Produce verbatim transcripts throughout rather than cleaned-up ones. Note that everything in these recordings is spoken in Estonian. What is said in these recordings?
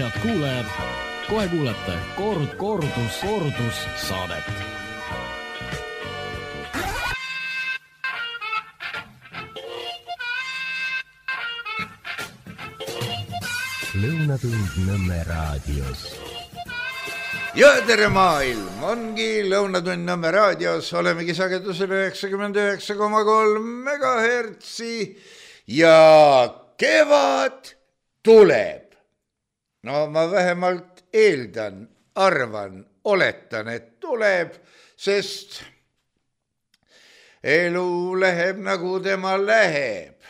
head kuulajad, kohe kuulete kord, kordus, kordus saadet. Lõunatund Nõmme raadios. Ja tere maailm, ongi Lõunatund Nõmme raadios, olemegi sagedusel üheksakümmend üheksa koma kolm megahertsi ja kevad tuleb. No ma vähemalt eeldan, arvan, oletan, et tuleb, sest elu läheb nagu tema läheb.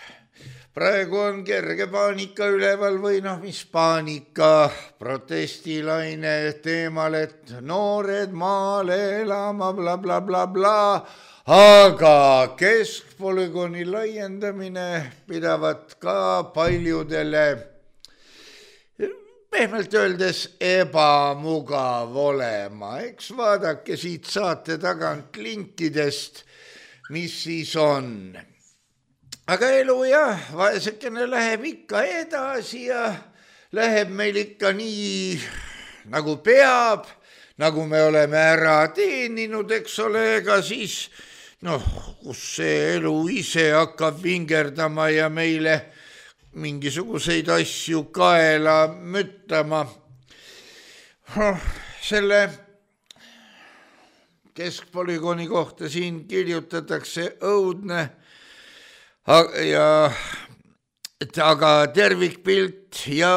Praegu on kerge paanika üleval või noh, mis paanika, protestilaine teemal, et noored maale elama, bla, bla, bla, bla, aga keskpolügooni laiendamine pidavat ka paljudele pehmelt öeldes ebamugav olema. Eks vaadake siit saate tagant linkidest, mis siis on. Aga elu jah, vaesekene läheb ikka edasi ja läheb meil ikka nii nagu peab, nagu me oleme ära teeninud, eks ole, ega siis, noh, kus see elu ise hakkab vingerdama ja meile mingisuguseid asju kaela müttama. Selle keskpolügooni kohta siin kirjutatakse õudne, ja aga tervikpilt ja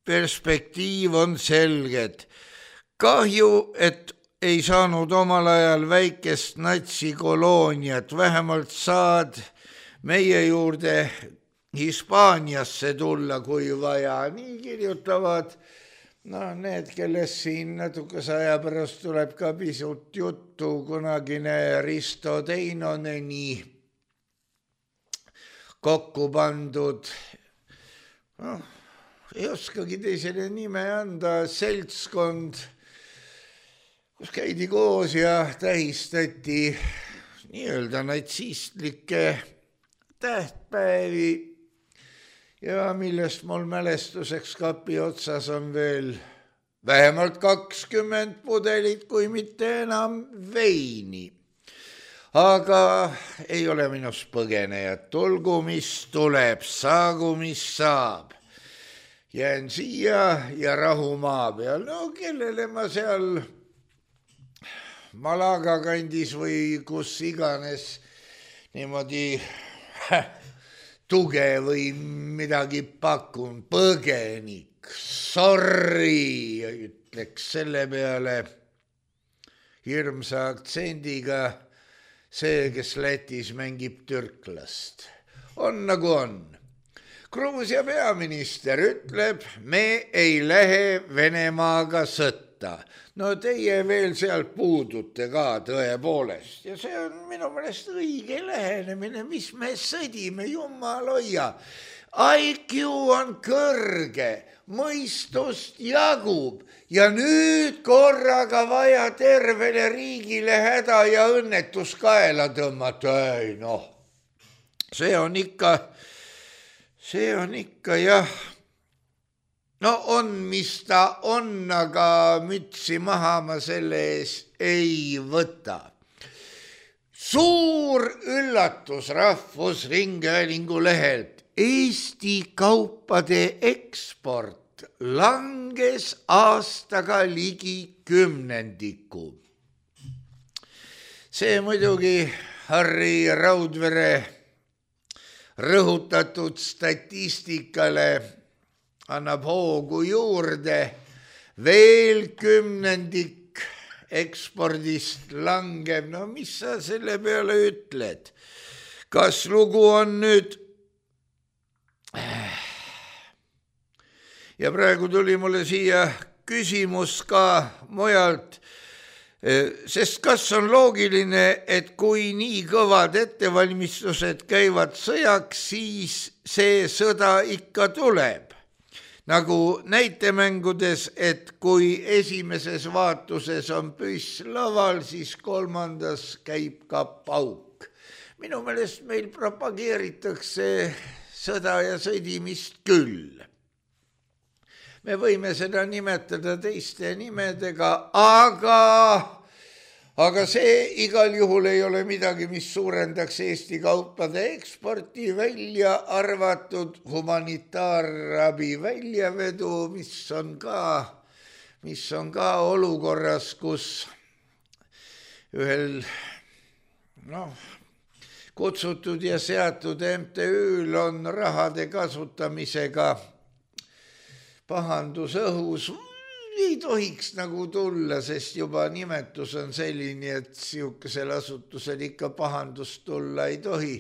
perspektiiv on selged. Kahju, et ei saanud omal ajal väikest natsikolooniat, vähemalt saad meie juurde Hispaaniasse tulla, kui vaja. Nii kirjutavad no, need, kellest siin natukese aja pärast tuleb ka pisut juttu, kunagine Risto Teinoneni kokku pandud, no, ei oskagi teisele nime anda, seltskond, kus käidi koos ja tähistati nii-öelda natsistlikke tähtpäevi ja millest mul mälestuseks kapi otsas on veel vähemalt kakskümmend pudelit, kui mitte enam veini. Aga ei ole minust põgenejat, tulgu mis tuleb, saagu mis saab. Jään siia ja rahu maa peal. No kellele ma seal Malaga kandis või kus iganes niimoodi tuge või midagi pakun, põgenik, sorry, ütleks selle peale hirmsa aktsendiga see, kes Lätis mängib türklast. On nagu on. Gruusia peaminister ütleb, me ei lähe Venemaaga sõtta. No teie veel sealt puudute ka tõepoolest. Ja see on minu meelest õige lähenemine, mis me sõdime, jumal hoia. I Q on kõrge, mõistust jagub ja nüüd korraga vaja tervele riigile häda ja õnnetus kaela tõmmata. Ei noh, see on ikka, see on ikka jah, no on, mis ta on, aga mütsi maha ma selle ees ei võta. Suur üllatus Rahvusringhäälingu lehelt. Eesti kaupade eksport langes aastaga ligi kümnendiku. See muidugi Harri Raudvere rõhutatud statistikale annab hoogu juurde. Veel kümnendik ekspordist langeb. No mis sa selle peale ütled? Kas lugu on nüüd... Ja praegu tuli mulle siia küsimus ka mujalt, sest kas on loogiline, et kui nii kõvad ettevalmistused käivad sõjaks, siis see sõda ikka tuleb. Nagu näitemängudes, et kui esimeses vaatuses on püss laval, siis kolmandas käib ka pauk. Minu meelest meil propageeritakse sõda ja sõdimist küll. me võime seda nimetada teiste nimedega, aga, aga see igal juhul ei ole midagi, mis suurendaks Eesti kaupade eksporti, välja arvatud humanitaarabi väljavedu, mis on ka, mis on ka olukorras, kus ühel noh, kutsutud ja seatud M T Ül on rahade kasutamisega pahandus õhus, ei tohiks nagu tulla, sest juba nimetus on selline, et siukesel asutusel ikka pahandust tulla ei tohi.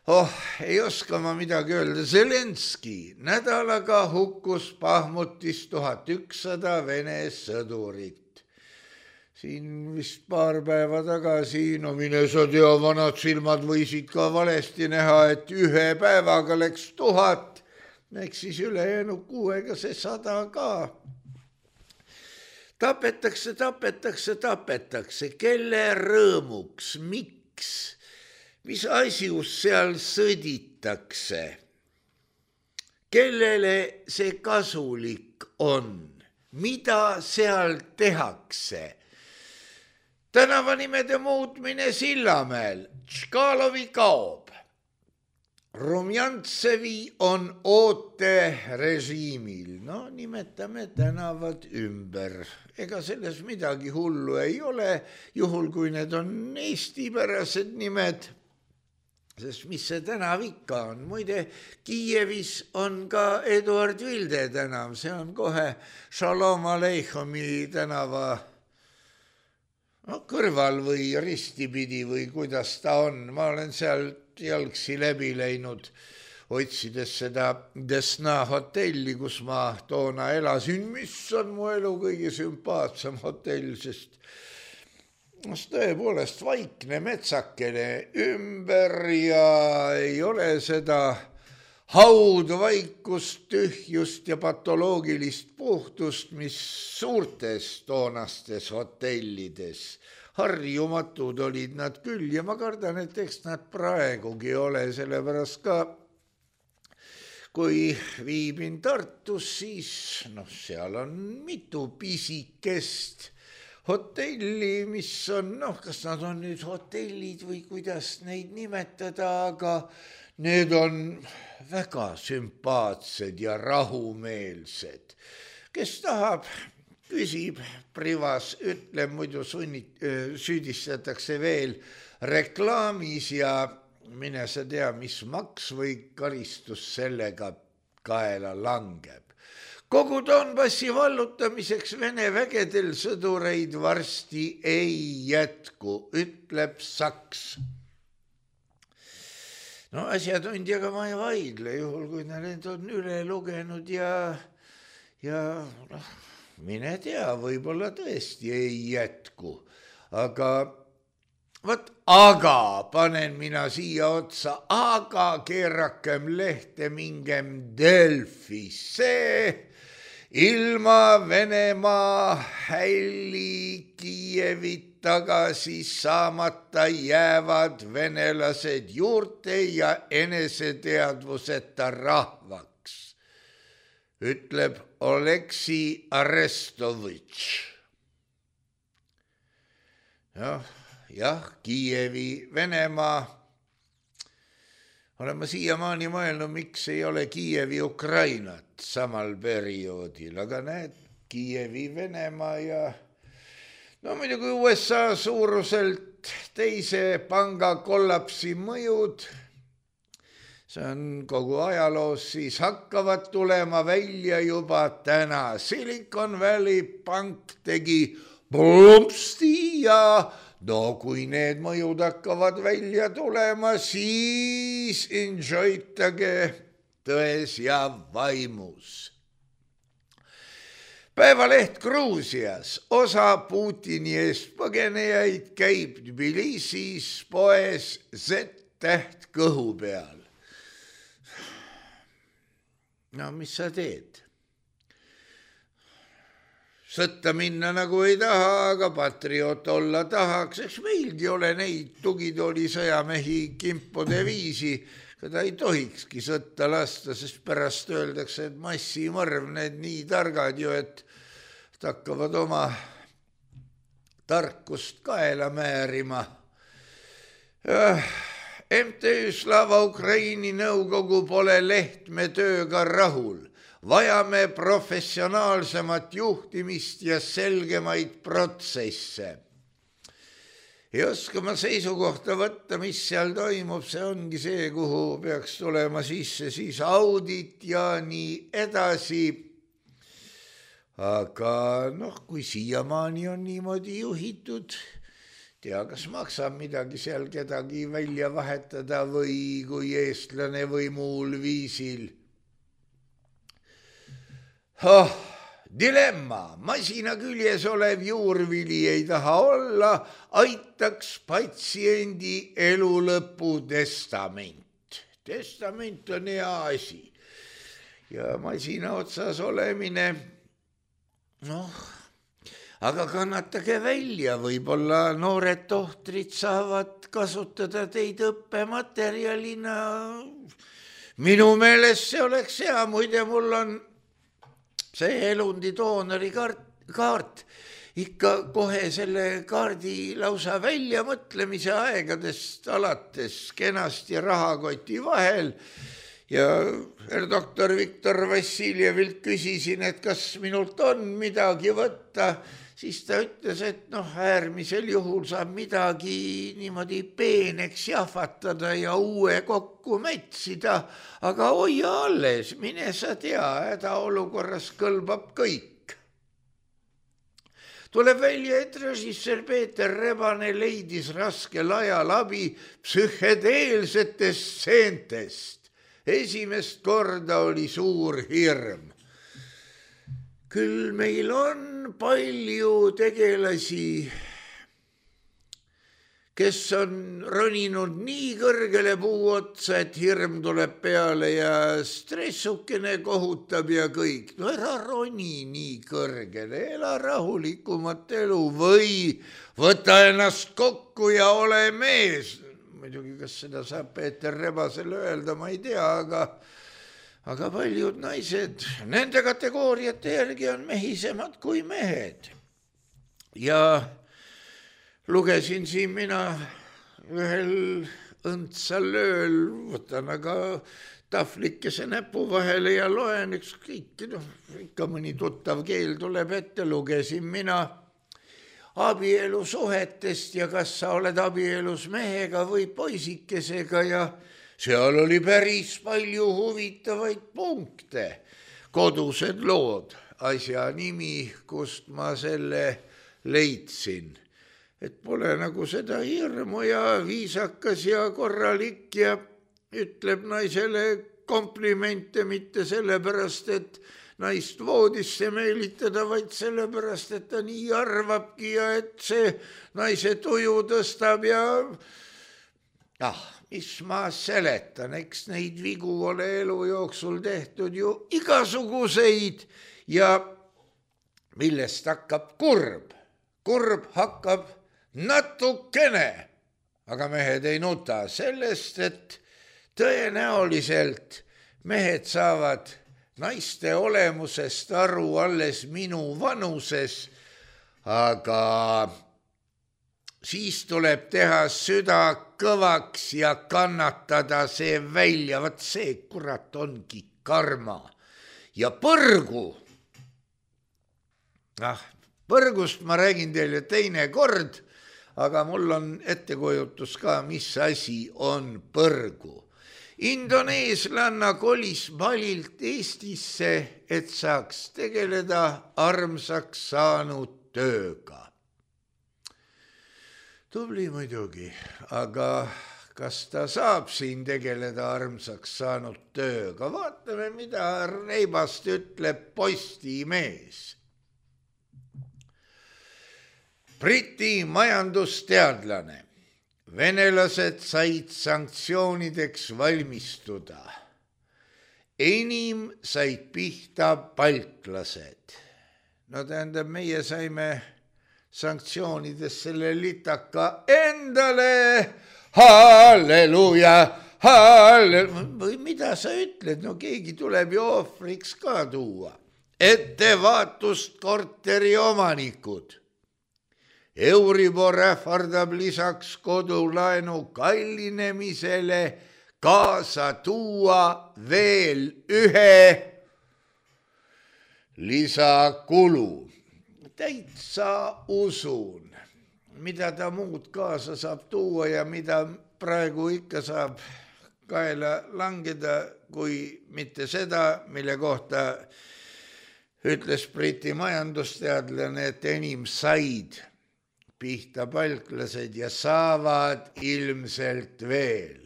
Oh, ei oska ma midagi öelda. Zelenski nädalaga hukkus Bahmutis tuhat ükssada Vene sõdurit. Siin vist paar päeva tagasi, no mine sa tea, vanad silmad võisid ka valesti näha, et ühe päevaga läks tuhat, eks siis ülejäänud kuuega see sada ka. Tapetakse, tapetakse, tapetakse. Kelle rõõmuks, miks, mis asjus seal sõditakse? Kellele see kasulik on? Mida seal tehakse? Tänavanimede muutmine Sillamäel. Tškalovi kaob. Rumjantsevi on ooterežiimil. No nimetame tänavad ümber. Ega selles midagi hullu ei ole, juhul kui need on eestipärased nimed. Sest mis see tänav ikka on? Muide, Kiievis on ka Eduard Vilde tänav. See on kohe Shalom Aleichomi tänava no, kõrval või ristipidi või kuidas ta on. Ma olen seal jalgsi läbi läinud, otsides seda Desna hotelli, kus ma toona elasin, mis on mu elu kõige sümpaatsem hotell, sest tõepoolest vaikne metsakene ümber ja ei ole seda haudvaikust, tühjust ja patoloogilist puhtust, mis suurtes toonastes hotellides. Harjumatud olid nad küll ja ma kardan, et eks nad praegugi ole, sellepärast ka kui viibin Tartus, siis noh, seal on mitu pisikest hotelli, mis on, noh, kas nad on nüüd hotellid või kuidas neid nimetada, aga need on väga sümpaatsed ja rahumeelsed. Kes tahab, küsib privas, ütleb, muidu sunnit, süüdistatakse veel reklaamis ja mine sa tea, mis maks või karistus sellega kaela langeb. Kogu Donbassi vallutamiseks Vene vägedel sõdureid varsti ei jätku, ütleb Saks. No asjatundjaga ma ei vaidle, juhul kui need on üle lugenud ja, ja noh, mine tea, võib-olla tõesti ei jätku, aga võt, aga panen mina siia otsa, aga keerakem lehte mingem Delfisse, ilma Venemaa hälli Kiievit tagasi saamata jäävad venelased juurte ja eneseteadvuseta rahvaks, ütleb Oleksi Arestovitš. Jah, jah, Kiievi, Venemaa. Olen ma siiamaani mõelnud, miks ei ole Kiievi Ukrainat samal perioodil, aga näed, Kiievi, Venemaa ja no muidugi U S A suuruselt teise panga kollapsi mõjud, see on kogu ajaloos, siis hakkavad tulema välja juba täna. Silicon Valley pank tegi plumpsti ja no kui need mõjud hakkavad välja tulema, siis enjoytage tões ja vaimus. Päevaleht Gruusias, osa Putini eest põgenejaid käib Tbilisis poes Z-täht kõhu peal. No mis sa teed? Sõtta minna nagu ei taha, aga patrioot olla tahaks. Eks meilgi ole neid tugitooli sõjamehi kimpude viisi. keda ei tohikski sõtta lasta, sest pärast öeldakse, et massimõrv, need nii targad ju, et hakkavad oma tarkust kaela määrima. M T Ü Slava Ukraini nõukogu pole Lehtme tööga rahul. Vajame professionaalsemat juhtimist ja selgemaid protsesse. Ei oska ma seisukohta võtta, mis seal toimub, see ongi see, kuhu peaks tulema sisse siis audit ja nii edasi. Aga noh, kui siiamaani on niimoodi juhitud, tea, kas maksab midagi seal kedagi välja vahetada või kui eestlane või muul viisil. Oh, dilemma, masina küljes olev juurvili ei taha olla, aitaks patsiendi elu lõpu testament. Testament on hea asi ja masina otsas olemine, noh, aga kannatage välja, võib-olla noored tohtrid saavad kasutada teid õppematerjalina. Minu meelest see oleks hea, muide mul on see elundi doonori kaart, kaart ikka kohe selle kaardi lausa väljamõtlemise aegadest alates kenasti rahakoti vahel ja doktor Viktor Vassiljevilt küsisin, et kas minult on midagi võtta, siis ta ütles, et noh, äärmisel juhul saab midagi niimoodi peeneks jahvatada ja uue kokku metsida, aga hoia alles, mine sa tea, hädaolukorras kõlbab kõik. Tuleb välja, et režissöör Peeter Rebane leidis raskel ajal abi psühhedeelsetest stseentest. Esimest korda oli suur hirm. Küll meil on palju tegelasi, kes on roninud nii kõrgele puu otsa, et hirm tuleb peale ja stressukene kohutab ja kõik. No ära roni nii kõrgele, ela rahulikumat elu või võta ennast kokku ja ole mees. Muidugi, kas seda saab Peeter Rebasele öelda, ma ei tea, aga... Aga paljud naised, nende kategooriate järgi on mehisemad kui mehed. Ja lugesin siin mina ühel õndsal ööl, võtan aga tahvlikese näpu vahele ja loen ükskõik, no, ikka mõni tuttav keel tuleb ette, lugesin mina abielusuhetest ja kas sa oled abielus mehega või poisikesega ja seal oli päris palju huvitavaid punkte, kodused lood, asja nimi, kust ma selle leidsin. Et pole nagu seda hirmu ja viisakas ja korralik ja ütleb naisele komplimente mitte sellepärast, et naist voodisse meelitada, vaid sellepärast, et ta nii arvabki ja et see naise tuju tõstab ja ah, mis ma seletan, eks neid vigu ole elu jooksul tehtud ju igasuguseid ja millest hakkab kurb. Kurb hakkab natukene, aga mehed ei nuta sellest, et tõenäoliselt mehed saavad naiste olemusest aru alles minu vanuses, aga siis tuleb teha süda kõvaks ja kannatada see välja, vaat see kurat ongi karma. Ja põrgu, ah, põrgust ma räägin teile teine kord, aga mul on ettekujutus ka, mis asi on põrgu. Indoneeslanna kolis Balilt Eestisse, et saaks tegeleda armsaks saanud tööga. Tubli muidugi, aga kas ta saab siin tegeleda armsaks saanud tööga? Vaatame, mida Reibast ütleb Postimees. Briti majandusteadlane. Venelased said sanktsioonideks valmistuda. Enim said pihta baltlased. No tähendab, meie saime sanktsioonides selle litaka endale. Halleluuja, või mida sa ütled, no keegi tuleb ju ohvriks ka tuua. Ettevaatust korteri omanikud. Euribor ähvardab lisaks kodulaenu kallinemisele kaasa tuua veel ühe lisakulu. Täitsa usun, mida ta muud kaasa saab tuua ja mida praegu ikka saab kaela langeda, kui mitte seda, mille kohta ütles Briti majandusteadlane, et enim said pihta palklased ja saavad ilmselt veel.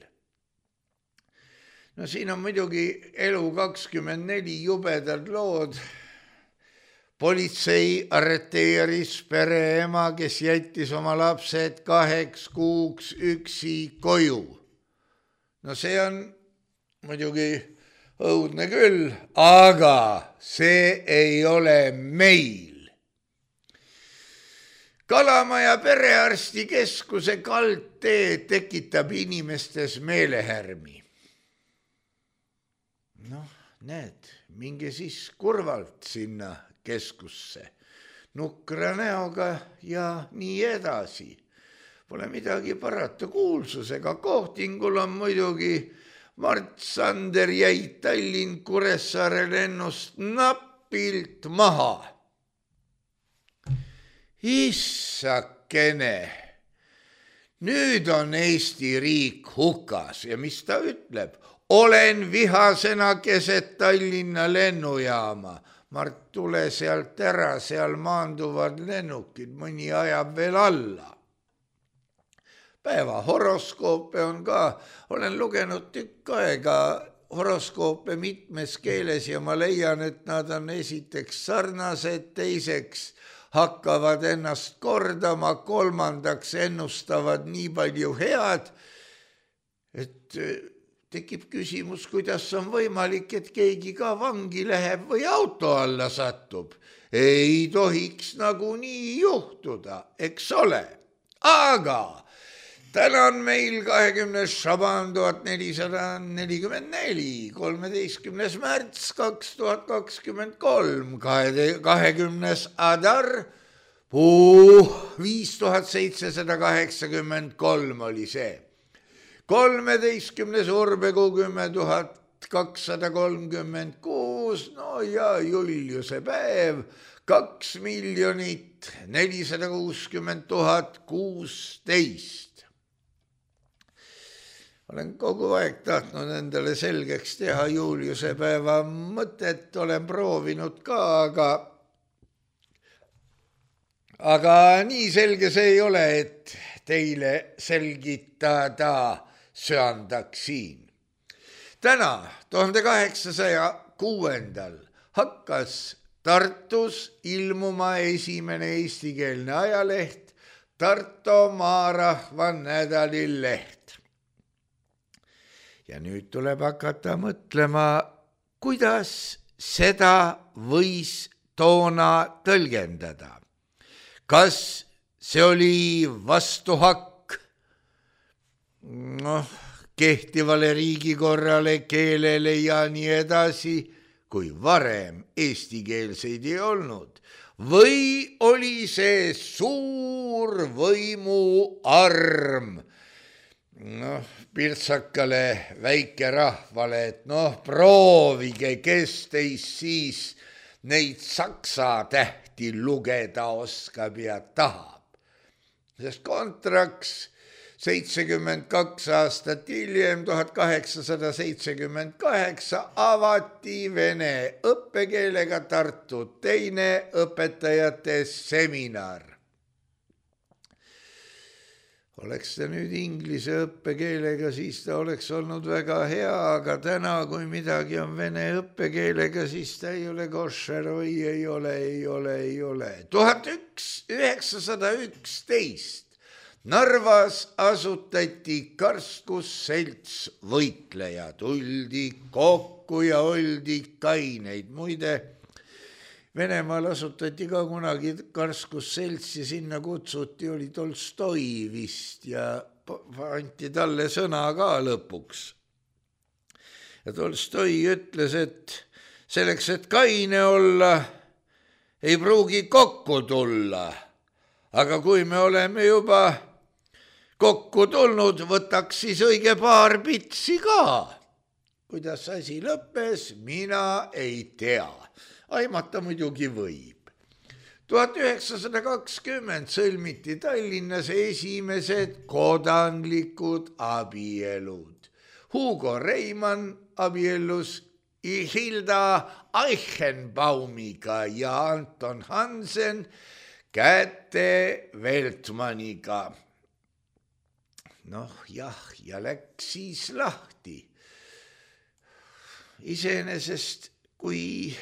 No siin on muidugi Elu kakskümmend neli jubedad lood. Politsei arreteeris pereema, kes jättis oma lapsed kaheks kuuks üksi koju. No see on muidugi õudne küll, aga see ei ole meil. Kalamaja perearstikeskuse kaldtee tekitab inimestes meelehärmi. Noh, näed, minge siis kurvalt sinna keskusse, nukra näoga ja nii edasi. Pole midagi parata, kuulsusega kohtingul on muidugi Mart Sander jäi Tallinn Kuressaare lennust napilt maha. Issakene, nüüd on Eesti riik hukas ja mis ta ütleb? Olen vihasena keset Tallinna lennujaama. Mart, tule sealt ära, seal maanduvad lennukid, mõni ajab veel alla. Päeva horoskoope on ka, olen lugenud tükk aega horoskoope mitmes keeles ja ma leian, et nad on esiteks sarnased, teiseks hakkavad ennast kordama, kolmandaks ennustavad nii palju head, et tekib küsimus, kuidas on võimalik, et keegi ka vangi läheb või auto alla satub. Ei tohiks nagu nii juhtuda, eks ole. Aga täna on meil kahekümnes Šaban tuhat nelisada nelikümmend neli, kolmeteistkümnes märts kaks tuhat kakskümmend kolm, kahekümnes Adar, puh, viis tuhat seitsesada kaheksakümmend kolm oli see. kolmeteistkümnes Urbekuu kümme tuhat kakssada kolmkümmend kuus, no ja Juliuse päev, kaks miljonit nelisada kuuskümmend tuhat kuusteist. Olen kogu aeg tahtnud endale selgeks teha Juliuse päeva mõtet, olen proovinud ka, aga aga nii selge see ei ole, et teile selgitada söandaksin. Täna, tuhande kaheksasaja kuuendal hakkas Tartus ilmuma esimene eestikeelne ajaleht Tartu Maarahva nädalileht. Ja nüüd tuleb hakata mõtlema, kuidas seda võis toona tõlgendada. Kas see oli vastuhakk noh, kehtivale riigikorrale, keelele ja nii edasi, kui varem eestikeelseid ei olnud? Või oli see suur võimuarm? Noh, pirtsakale väike rahvale, et noh, proovige, kes teist siis neid saksa tähti lugeda oskab ja tahab. Sest kontraks seitsekümmend kaks aastat hiljem, tuhat kaheksasada seitsekümmend kaheksa, avati vene õppekeelega Tartu teine õpetajate seminar. Oleks ta nüüd inglise õppekeelega, siis ta oleks olnud väga hea, aga täna, kui midagi on vene õppekeelega, siis ta ei ole koššer või ei ole, ei ole, ei ole. tuhat üheksasada üksteist Narvas asutati karskusselts võitleja, tuldi kokku ja oldi kaineid. Muide, Venemaal asutati ka kunagi karskusselts ja sinna kutsuti, oli Tolstoi vist ja anti talle sõna ka lõpuks. ja Tolstoi ütles, et selleks, et kaine olla, ei pruugi kokku tulla. Aga kui me oleme juba kokku tulnud, võtaks siis õige paar pitsi ka. Kuidas asi lõppes, mina ei tea. Aimata muidugi võib. tuhat üheksasada kakskümmend sõlmiti Tallinnas esimesed kodanlikud abielud. Hugo Reimann abiellus Hilda Eichenbaumiga ja Anton Hansen Käte Veltmaniga. Noh, jah, ja läks siis lahti. Iseenesest, kui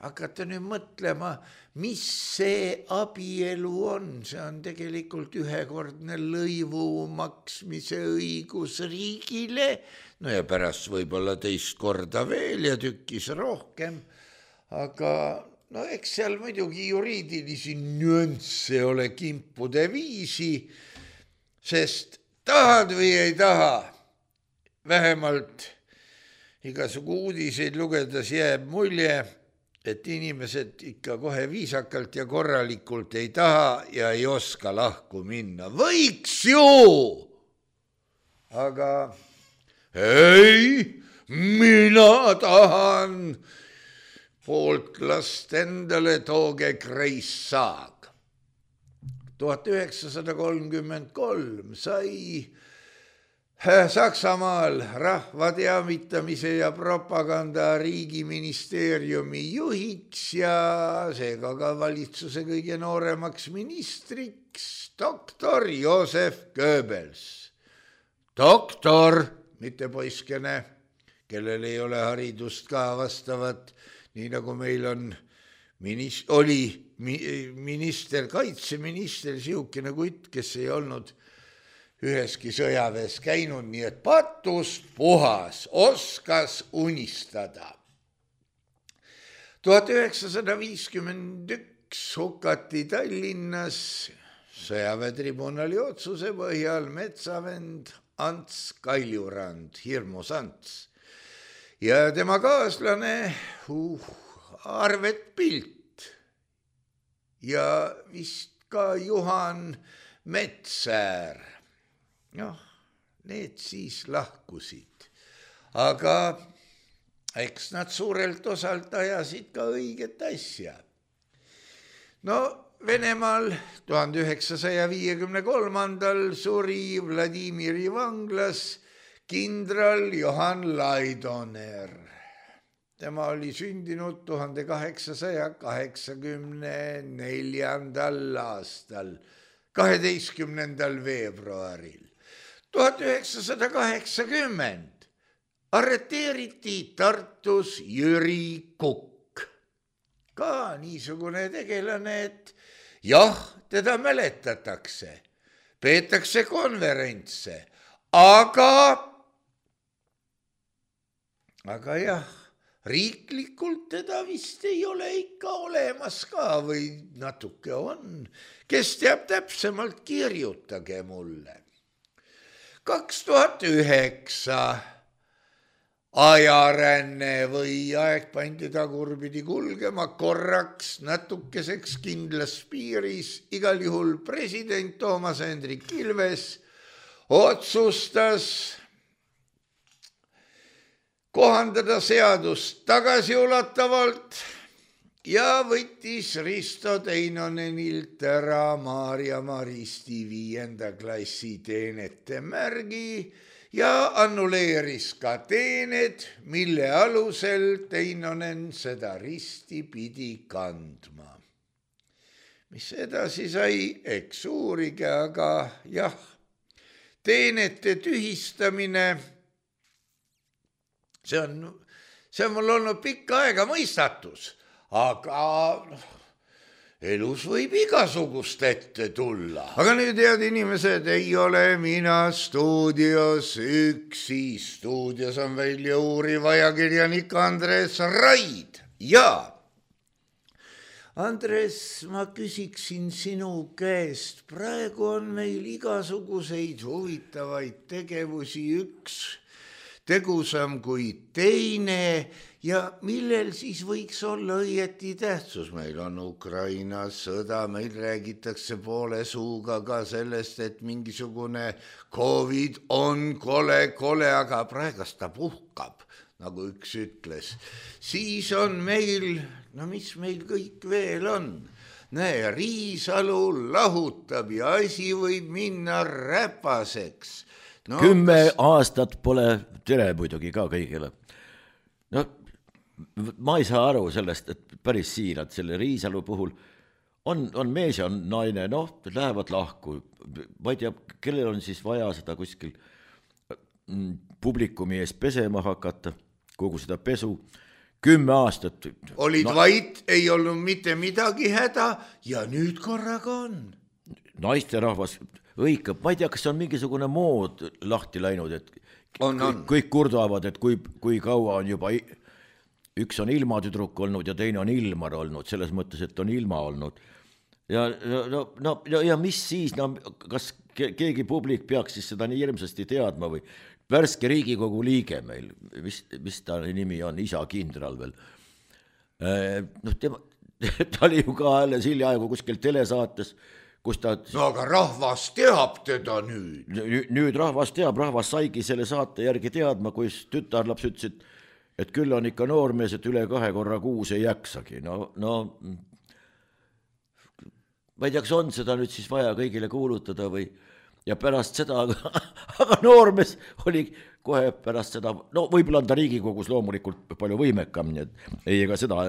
hakata nüüd mõtlema, mis see abielu on, see on tegelikult ühekordne lõivu maksmise õigus riigile, no ja pärast võib-olla teist korda veel ja tükkis rohkem, aga no eks seal muidugi juriidilisi nüansse ole kimpude viisi, sest tahad või ei taha, vähemalt igasugu uudiseid lugedes jääb mulje, et inimesed ikka kohe viisakalt ja korralikult ei taha ja ei oska lahku minna. Võiks ju! Aga ei, mina tahan poolt last endale, tooge kreissaag. tuhat üheksasada kolmkümmend kolm sai Saksamaal rahva teavitamise ja propaganda riigiministeeriumi juhiks ja seega ka valitsuse kõige nooremaks ministriks doktor Josef Goebbels. Doktor, mitte poiskene, kellel ei ole haridust ka vastavat, nii nagu meil on minis- oli minister, kaitseminister, siukene kutt, kes ei olnud üheski sõjaväes käinud, nii et patust puhas, oskas unistada. tuhat üheksasada viiskümmend üks hukati Tallinnas sõjaväetribunali otsuse põhjal metsavend Ants Kaljurand, hirmus Ants. Ja tema kaaslane uh, Arvet Pilt ja vist ka Juhan Metsäär. Noh, need siis lahkusid, aga eks nad suurelt osalt ajasid ka õiget asja. No Venemaal tuhande üheksasaja viiekümne kolmandal suri Vladimiri vanglas kindral Johann Laidoner. Tema oli sündinud tuhande kaheksasaja kaheksakümne neljandal aastal, kaheteistkümnendal veebruaril. tuhat üheksasada kaheksakümmend arreteeriti Tartus Jüri Kukk. Ka niisugune tegelane, et jah, teda mäletatakse, peetakse konverentse, aga, aga jah, riiklikult teda vist ei ole ikka olemas ka või natuke on. Kes teab täpsemalt, kirjutage mulle. kaks tuhat üheksa ajaränne või aeg pandi tagurpidi kulgema korraks natukeseks kindlas piiris. Igal juhul president Toomas Hendrik Ilves otsustas kohandada seadust tagasiulatavalt ja võttis Risto Teinonenilt ära Maarja-Maristi viienda klassi teenete märgi ja annuleeris ka teened, mille alusel Teinonen seda risti pidi kandma. Mis edasi sai, eks uurige, aga jah, teenete tühistamine, see on, see on mul olnud pikka aega mõistatus. Aga elus võib igasugust ette tulla. Aga nüüd, head inimesed, ei ole mina stuudios üksi. Stuudios on välja uuriv ajakirjanik Andres Raid. Ja, Andres, ma küsiksin sinu käest. Praegu on meil igasuguseid huvitavaid tegevusi. Üks tegusam kui teine ja millel siis võiks olla õieti tähtsus. Meil on Ukrainas sõda, meil räägitakse poole suuga ka sellest, et mingisugune Covid on kole, kole, aga praegast ta puhkab, nagu üks ütles. Siis on meil, no mis meil kõik veel on? Näe, Riisalu lahutab ja asi võib minna räpaseks. No, Kümme kas... aastat pole tere muidugi ka kõigile. No, ma ei saa aru sellest, et päris siirad selle Riisalu puhul on, on mees ja on naine, noh, lähevad lahku. Ma ei tea, kellel on siis vaja seda kuskil publikumi ees pesema hakata, kogu seda pesu. Kümme aastat. Olid no, vait, ei olnud mitte midagi häda ja nüüd korraga on. Naisterahvas õikab, ma ei tea, kas on mingisugune mood lahti läinud, et on, on. kõik kurdavad, et kui, kui kaua on juba, üks on ilmatüdruk olnud ja teine on Ilmar olnud, selles mõttes, et on ilma olnud. Ja, no, no, ja mis siis, no, kas keegi publik peaks siis seda nii hirmsasti teadma või värske Riigikogu liige meil, mis, mis ta nimi on, isa kindral veel. No, tema, ta oli ju ka alles hiljaaegu kuskil telesaates, kus ta... No aga rahvas teab teda nüüd. Nüüd rahvas teab, rahvas saigi selle saate järgi teadma, kui tütarlaps ütles, et, et küll on ikka noormees, et üle kahe korra kuus ei jaksagi. No, no ma ei tea, kas on seda nüüd siis vaja kõigile kuulutada või... Ja pärast seda, aga, aga noormees oli kohe pärast seda, no võib-olla on ta Riigikogus loomulikult palju võimekam, nii et ei, ega seda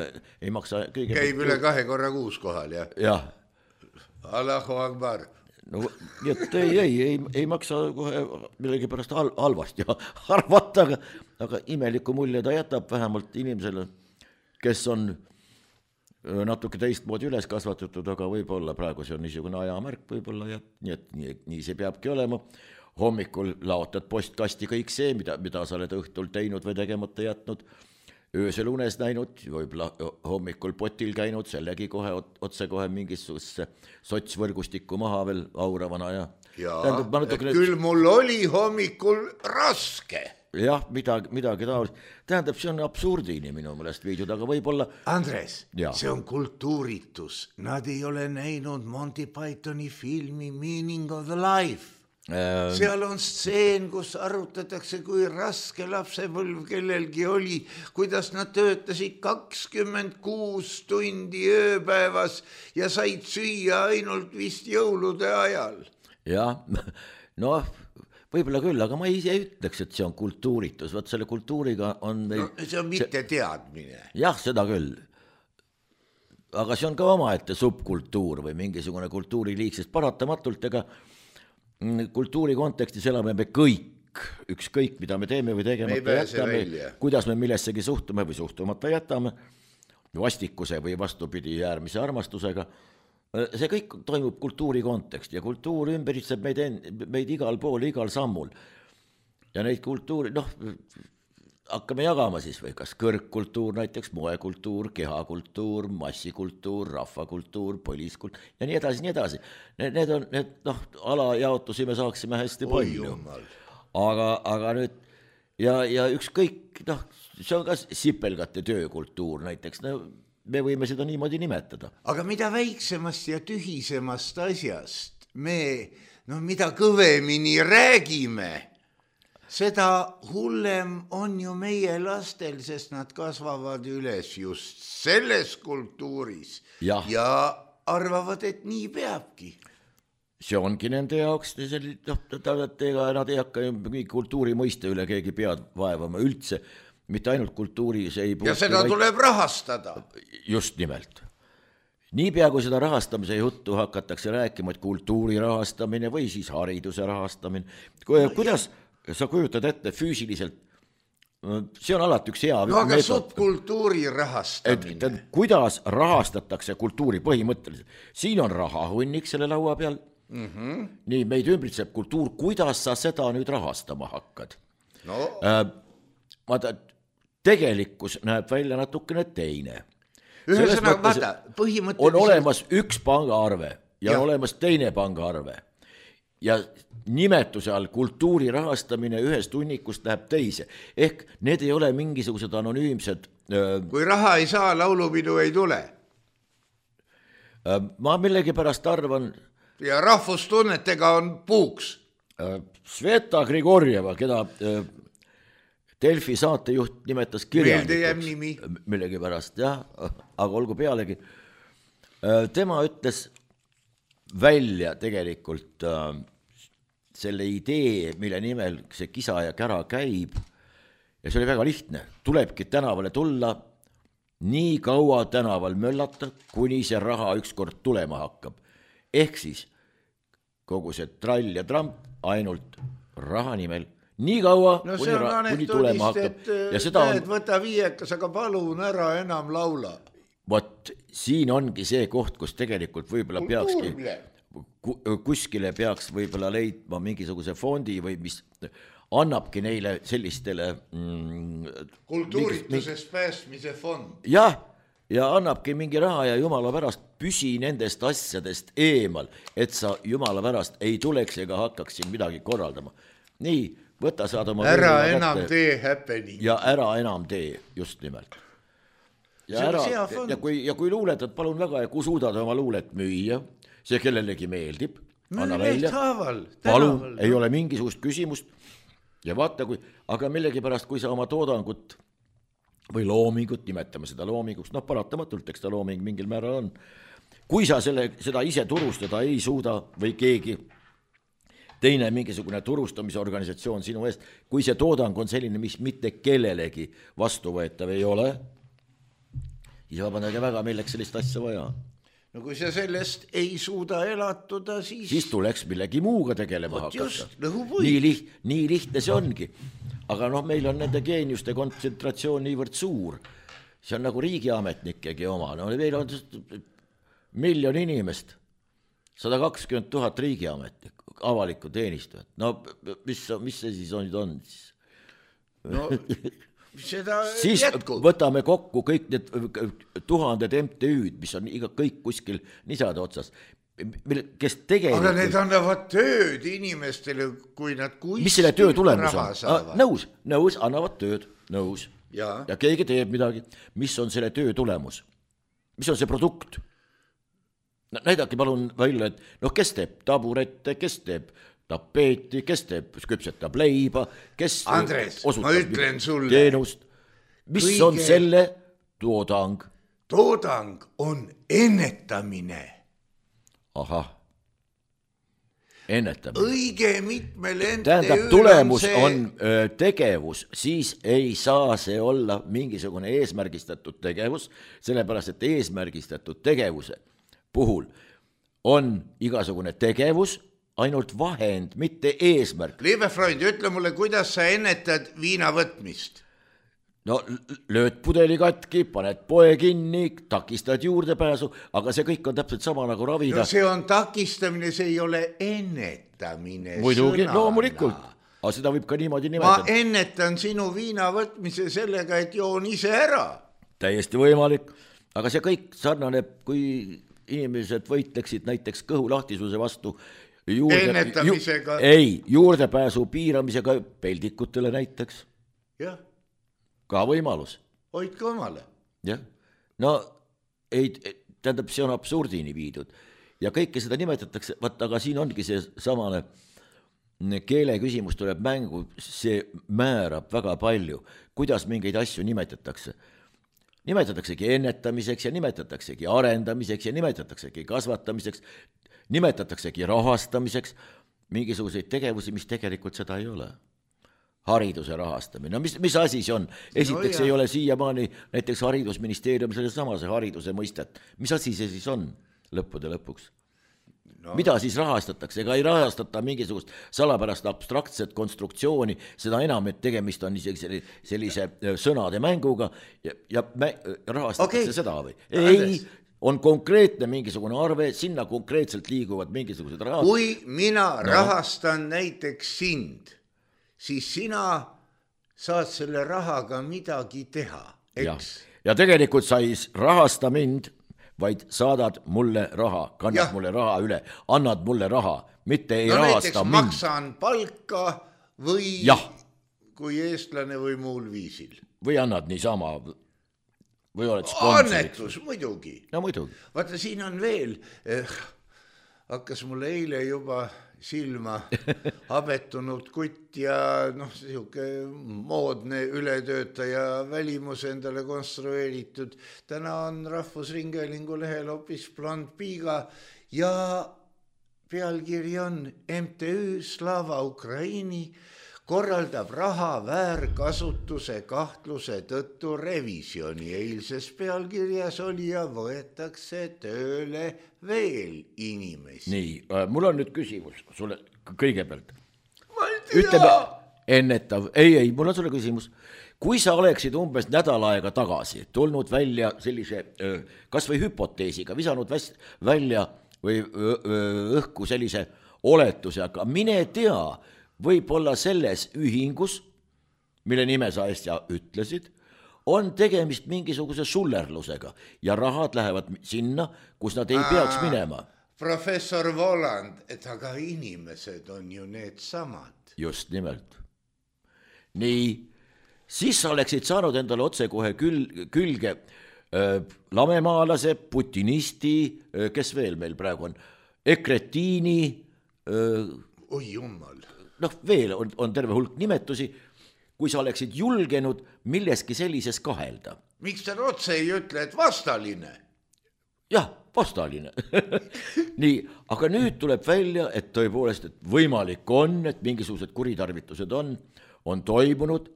ei maksa kõige... Käib üle kahe korra kuus kohal, jah? Jah. Allahu Akbar. No, nii et ei, ei, ei, ei maksa kohe millegi pärast hal, halvasti arvata, aga, aga imeliku mulje ta jätab vähemalt inimesele, kes on natuke teistmoodi üles kasvatatud, aga võib-olla praegu see on niisugune ajamärk võib-olla ja nii, et nii, nii see peabki olema. Hommikul laotad postkasti kõik see, mida, mida sa oled õhtul teinud või tegemata jätnud, öösel unes näinud, võib-olla hommikul potil käinud, sellegi kohe otse kohe mingisuguse sotsvõrgustikku maha veel auravana ja... Ja, natukene... küll mul oli hommikul raske. Jah, midagi, midagi taolist. Tähendab, see on absurdini minu meelest viidud, aga võib-olla... Andres, ja. See on kultuuritus. Nad ei ole näinud Monty Pythoni filmi Meaning of the Life. Ähm... Seal on stseen, kus arutatakse, kui raske lapsepõlv kellelgi oli, kuidas nad töötasid kakskümmend kuus tundi ööpäevas ja said süüa ainult vist jõulude ajal. Jah, noh... Võib-olla küll, aga ma ise ütleks, et see on kultuuritus. Vaat selle kultuuriga on... Meil... No, see on mitte teadmine. Jah, seda küll. Aga see on ka omaette subkultuur või mingisugune kultuuriliik, sest paratamatult ega kultuuri kontekstis elame me kõik, ükskõik mida me teeme või tegemata jätame, kuidas me millessegi suhtume või suhtumata jätame, vastikuse või vastupidi äärmise armastusega. See kõik toimub kultuuri kontekst ja kultuur ümberitseb meid, meid igal pool, igal sammul. Ja neid kultuuri, noh, hakkame jagama siis või kas kõrgkultuur, näiteks moekultuur, kehakultuur, massikultuur, rahvakultuur, põliskultuur ja nii edasi, nii edasi. Need, need on, need, noh, alajaotusi me saaksime hästi palju. Aga, aga nüüd, ja, ja ükskõik, noh, see on ka sipelgate töökultuur näiteks, no, me võime seda niimoodi nimetada. Aga mida väiksemast ja tühisemast asjast me, no mida kõvemini räägime, seda hullem on ju meie lastel, sest nad kasvavad üles just selles kultuuris ja, ja arvavad, et nii peabki. See ongi nende jaoks, noh, ega nad ei hakka kultuuri mõiste üle keegi pead vaevama üldse, mitte ainult kultuuris ei puutu, ja seda vaid... tuleb rahastada. Just nimelt. Nii pea kui seda rahastamise juttu hakatakse rääkima, et kultuuri rahastamine või siis hariduse rahastamine. Kuidas no, sa kujutad ette füüsiliselt, see on alati üks hea no, aga subkultuuri rahastamine. Et, et, kuidas rahastatakse kultuuri põhimõtteliselt? Siin on rahahunnik selle laua peal. Mm-hmm. Nii, meid ümbritseb kultuur. Kuidas sa seda nüüd rahastama hakkad? No. Äh, vaata, tegelikkus näeb välja natukene teine. Ühesõnaga, vaata, põhimõtteliselt... On olemas üks pangaarve ja, ja. on olemas teine pangaarve. ja nimetuse all kultuuri rahastamine ühest hunnikust läheb teise. Ehk need ei ole mingisugused anonüümsed. Kui raha ei saa, laulupidu ei tule. Ma millegipärast arvan. Ja rahvustunnetega on puuks. Sveta Grigorjeva, keda Delfi saatejuht nimetas kirjanikuks. Millegipärast, jah, aga olgu pealegi. Tema ütles välja tegelikult selle idee, mille nimel see kisa ja kära käib ja see oli väga lihtne. Tulebki tänavale tulla, nii kaua tänaval möllata, kuni see raha ükskord tulema hakkab. Ehk siis kogu see trall ja tramp ainult raha nimel. Nii kaua, no kuni, ra- kuni tulema hakkab. Ja seda on... võta viiekas, aga palun ära enam laula. Vot siin ongi see koht, kus tegelikult võib-olla peakski... kuskile peaks võib-olla leidma mingisuguse fondi või mis annabki neile sellistele mm, kultuuritusest päästmise fond. Jah, ja annabki mingi raha ja jumala pärast püsi nendest asjadest eemal, et sa jumala pärast ei tuleks ega hakkaks siin midagi korraldama. Nii, võta saad oma ära enam kätte. Tee happening. Ja ära enam tee, just nimelt. Ja, ära, ja, kui, ja kui luuletad, palun väga, ja kui suudad oma luulet müüa, see kellelegi meeldib, anna välja, palun, ei ole mingisugust küsimust ja vaata, kui, aga millegipärast, kui sa oma toodangut või loomingut, nimetame seda loominguks, noh paratamatult, eks ta looming mingil määral on, kui sa selle, seda ise turustada ei suuda või keegi teine mingisugune turustamisorganisatsioon sinu eest, kui see toodang on selline, mis mitte kellelegi vastuvõetav ei ole, siis vabandage väga, milleks sellist asja vaja. No kui sa sellest ei suuda elatuda, siis... Siis tuleks millegi muuga tegelema hakata. Just, lõhupuid. Nii, liht, nii lihtne see ongi. Aga noh, meil on nende geeniuste kontsentratsioon niivõrd suur. See on nagu riigiametnikegi oma. No, meil on miljon inimest, sada kakskümmend tuhat riigiametnikku, avalikku teenistujat. No mis, mis see siis on? on? No... Seda siis jätkub. Võtame kokku kõik need tuhanded M T Ü'd, mis on iga kõik kuskil nisade otsas, kes tegelikult... Aga need annavad tööd inimestele, kui nad kuskil mis selle töö tulemus on? Ah, nõus, nõus, annavad tööd, nõus. Ja. ja keegi teeb midagi. Mis on selle töö tulemus? Mis on see produkt? No, näidake palun välja, et noh, kes teeb taburette, kes teeb tapeeti, kes teeb, küpsetab leiba, kes Andres, ma ütlen sulle, teenust. Mis kõige... on selle toodang? Toodang on ennetamine. Ahah, ennetamine. Õige mitmel M T Ü'l tähendab, tulemus on, see... on tegevus, siis ei saa see olla mingisugune eesmärgistatud tegevus, sellepärast, et eesmärgistatud tegevuse puhul on igasugune tegevus, ainult vahend, mitte eesmärk. Liebe Freund, ütle mulle, kuidas sa ennetad viina võtmist? No lööd pudeli katki, paned poe kinni, takistad juurdepääsu, aga see kõik on täpselt sama nagu ravida. No see on takistamine, see ei ole ennetamine. Muidugi, loomulikult. Aga seda võib ka niimoodi nimetada. Ma ennetan sinu viina võtmise sellega, et joon ise ära. Täiesti võimalik. Aga see kõik sarnaneb, kui inimesed võitleksid näiteks kõhulahtisuse vastu juurde, ennetamisega. Ju, ei, juurdepääsu piiramisega peldikutele näiteks. Jah. Ka võimalus. Hoidke omale. Jah. No, ei, tähendab, see on absurdini viidud. Ja kõike seda nimetatakse, vaat, aga siin ongi see samane keele küsimus tuleb mängu, see määrab väga palju, kuidas mingeid asju nimetatakse. Nimetataksegi ennetamiseks ja nimetataksegi arendamiseks ja nimetataksegi kasvatamiseks, nimetataksegi rahastamiseks, mingisuguseid tegevusi, mis tegelikult seda ei ole. Hariduse rahastamine. No mis, mis asi see on? Esiteks no, ei ole siiamaani näiteks haridusministeerium selle samase hariduse mõistet. Mis asi see siis on lõppude lõpuks? No. Mida siis rahastatakse? Ega ei rahastata mingisugust salapärast abstraktset konstruktsiooni, seda enam, et tegemist on isegi sellise sõnade mänguga ja, ja mä, rahastatakse okay. seda või? Ei, on konkreetne mingisugune arve, sinna konkreetselt liiguvad mingisugused rahad. Kui mina no. rahastan näiteks sind, siis sina saad selle rahaga midagi teha, eks? Ja, ja tegelikult sa ei rahasta mind, vaid saadad mulle raha, kannad ja. mulle raha üle, annad mulle raha, mitte ei no, rahasta mind. Maksan palka või ja. kui eestlane või muul viisil. Või annad niisama või oled sponsoriks. Annetus, muidugi. No muidugi. Vaata, siin on veel, eh, hakkas mulle eile juba silma habetunud kutt ja noh, sihuke moodne ületöötaja välimus endale konstrueeritud. Täna on Rahvusringhäälingu lehel hoopis blond piiga ja pealkiri on M T Ü Slava Ukraini korraldab raha väärkasutuse kahtluse tõttu revisjoni. Eilses pealkirjas oli ja võetakse tööle veel inimesi. Nii, mul on nüüd küsimus sulle kõigepealt. Ma ei tea. Ütleme ennetav. Ei, ei, mul on sulle küsimus. Kui sa oleksid umbes nädal aega tagasi tulnud välja sellise kas või hüpoteesiga, visanud välja või õhku sellise oletuse, aga mine tea, võib-olla selles ühingus, mille nime sa äsja ütlesid, on tegemist mingisuguse sullerlusega ja rahad lähevad sinna, kus nad ei Aa, peaks minema. Professor Voland, et aga inimesed on ju need samad. Just nimelt. Nii, siis sa oleksid saanud endale otse kohe küll, külge äh, lamemaalase, putinisti, äh, kes veel meil praegu on, ekretiini. Äh, Oi jummal. Noh, veel on, on terve hulk nimetusi, kui sa oleksid julgenud milleski sellises kahelda. Miks ta otse ei ütle, et vastaline? Jah, vastaline. Nii, aga nüüd tuleb välja, et tõepoolest, et võimalik on, et mingisugused kuritarvitused on, on toimunud.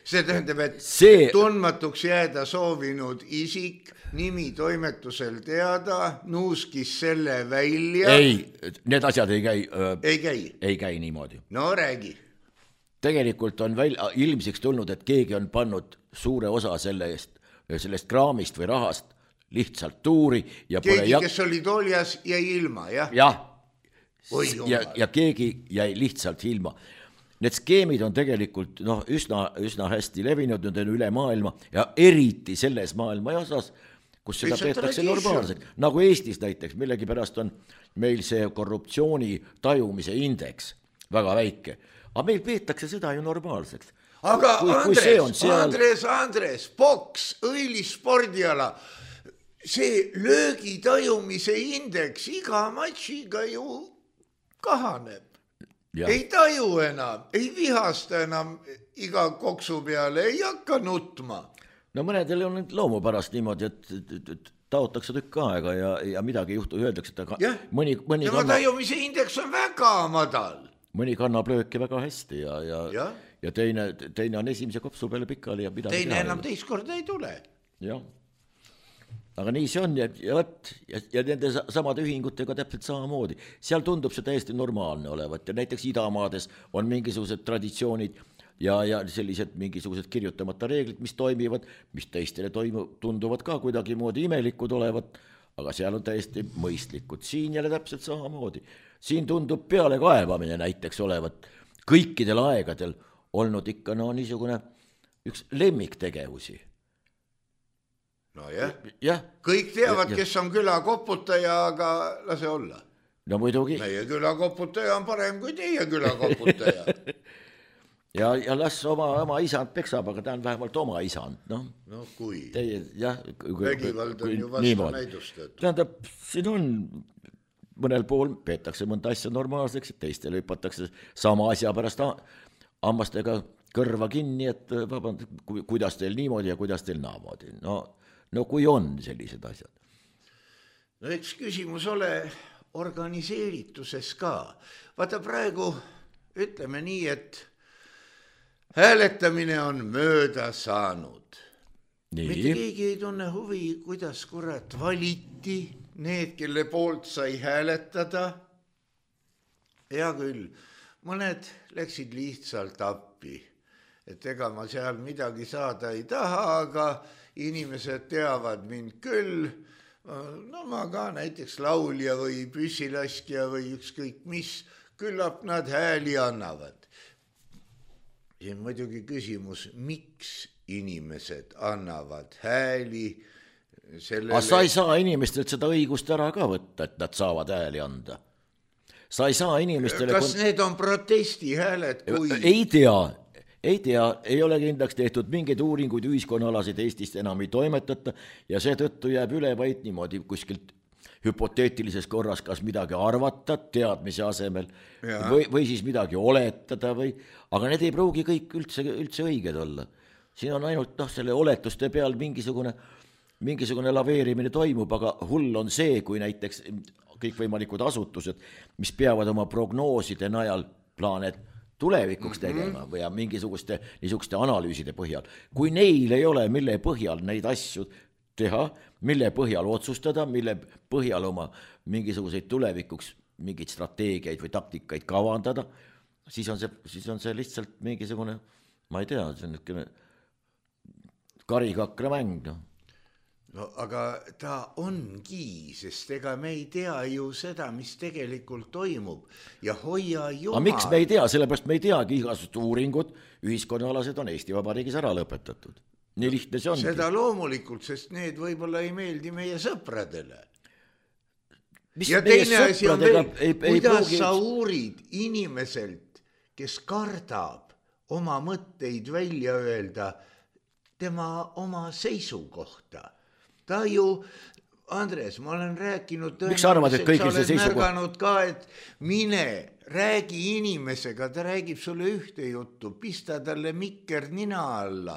See tähendab, et see... tundmatuks jääda soovinud isik, nimi toimetusel teada, nuuskis selle välja. Ei, need asjad ei käi. Öö, ei käi? Ei käi niimoodi. No räägi. Tegelikult on välja, ilmsiks tulnud, et keegi on pannud suure osa sellest, sellest kraamist või rahast lihtsalt tuuri. Ja keegi, jak... kes oli toljas, jäi ilma, jah? Jah, ja, ja keegi jäi lihtsalt ilma. Need skeemid on tegelikult no, üsna, üsna hästi levinud, nüüd on üle maailma ja eriti selles maailma osas, kus seda peetakse normaalselt. Nagu Eestis näiteks, millegi pärast on meil see korruptsiooni tajumise indeks väga väike. Aga meil peetakse seda ju normaalseks. Aga kui, Andres, kui seal... Andres, Andres, boks, õilis spordiala, see löögi tajumise indeks iga matšiga ju kahaneb. Ja. Ei taju enam, ei vihasta enam iga koksu peale, ei hakka nutma. No mõnedel on loomupärast niimoodi, et, et, et taotakse tükk aega ja, ja midagi juhtu, öeldakse, et ja. mõni, mõni tema kannab, tajumise indeks on väga madal. Mõni kannab lööki väga hästi ja, ja, ja. ja teine, teine on esimese kopsu peale pikali. Ja teine enam teist korda ei tule. Jah. Aga nii see on ja, ja, ja, ja nende samade ühingutega täpselt samamoodi. Seal tundub see täiesti normaalne olevat ja näiteks idamaades on mingisugused traditsioonid ja, ja sellised mingisugused kirjutamata reeglid, mis toimivad, mis teistele toimu, tunduvad ka kuidagi moodi imelikud olevat, aga seal on täiesti mõistlikud. Siin jälle täpselt samamoodi. Siin tundub peale kaevamine näiteks olevat kõikidel aegadel olnud ikka no niisugune üks lemmiktegevusi. No jah, ja. Kõik teavad, ja, kes on külakoputaja, aga lase olla. No muidugi. Meie külakoputaja on parem kui teie külakoputaja. ja, ja las oma, oma isand peksab, aga ta on vähemalt oma isand. No, no kui? Teie, jah, vägivald on ju vastu näidustatud. Tähendab, siin on mõnel pool peetakse mõnda asja normaalseks, et teistele hüpatakse sama asja pärast hammastega kõrva kinni, et vaband, kuidas teil niimoodi ja kuidas teil naamoodi. No, no kui on sellised asjad. No eks küsimus ole organiseerituses ka. Vaata praegu ütleme nii, et hääletamine on mööda saanud. Nii. Mitte keegi ei tunne huvi, kuidas kurat valiti need, kelle poolt sai hääletada. Hea küll, mõned läksid lihtsalt appi. Et ega ma seal midagi saada ei taha, aga inimesed teavad mind küll. No ma ka näiteks laulja või püssilaskja või ükskõik mis, küllap nad hääli annavad. Ja muidugi küsimus, miks inimesed annavad hääli, sellele... aga sa ei saa inimestelt seda õigust ära ka võtta, et nad saavad hääli anda. Sa ei saa inimestele... Kas kon... need on protestihääled, kui... Ei tea, ei tea, ei ole kindlaks tehtud, mingeid uuringuid ühiskonnaalasid Eestist enam ei toimetata ja seetõttu jääb üle vaid niimoodi kuskilt hüpoteetilises korras kas midagi arvata teadmise asemel või, või siis midagi oletada või, aga need ei pruugi kõik üldse, üldse õiged olla. Siin on ainult noh, selle oletuste peal mingisugune, mingisugune laveerimine toimub, aga hull on see, kui näiteks kõikvõimalikud asutused, mis peavad oma prognooside najal plaaned tulevikuks tegema või mingisuguste niisuguste analüüside põhjal. Kui neil ei ole, mille põhjal neid asju teha, mille põhjal otsustada, mille põhjal oma mingisuguseid tulevikuks mingeid strateegiaid või taktikaid kavandada, siis on see, siis on see lihtsalt mingisugune, ma ei tea, see on niisugune karikakra mäng, noh. No aga ta ongi, sest ega me ei tea ju seda, mis tegelikult toimub ja hoia jumal. Aga miks me ei tea? Sellepärast me ei teagi igasugused uuringud, ühiskonnaalased on Eesti Vabariigis ära lõpetatud. Nii lihtne see ongi. Seda loomulikult, sest need võib-olla ei meeldi meie sõpradele. Mis ja teine asi on veel, ei, ei kuidas pruugi... sa uurid inimeselt, kes kardab oma mõtteid välja öelda tema oma seisukohta. Ta ju, Andres, ma olen rääkinud, miks arvad, et kõigil see seisukoht? Märganud ka, et mine, räägi inimesega, ta räägib sulle ühte juttu, pista talle mikker nina alla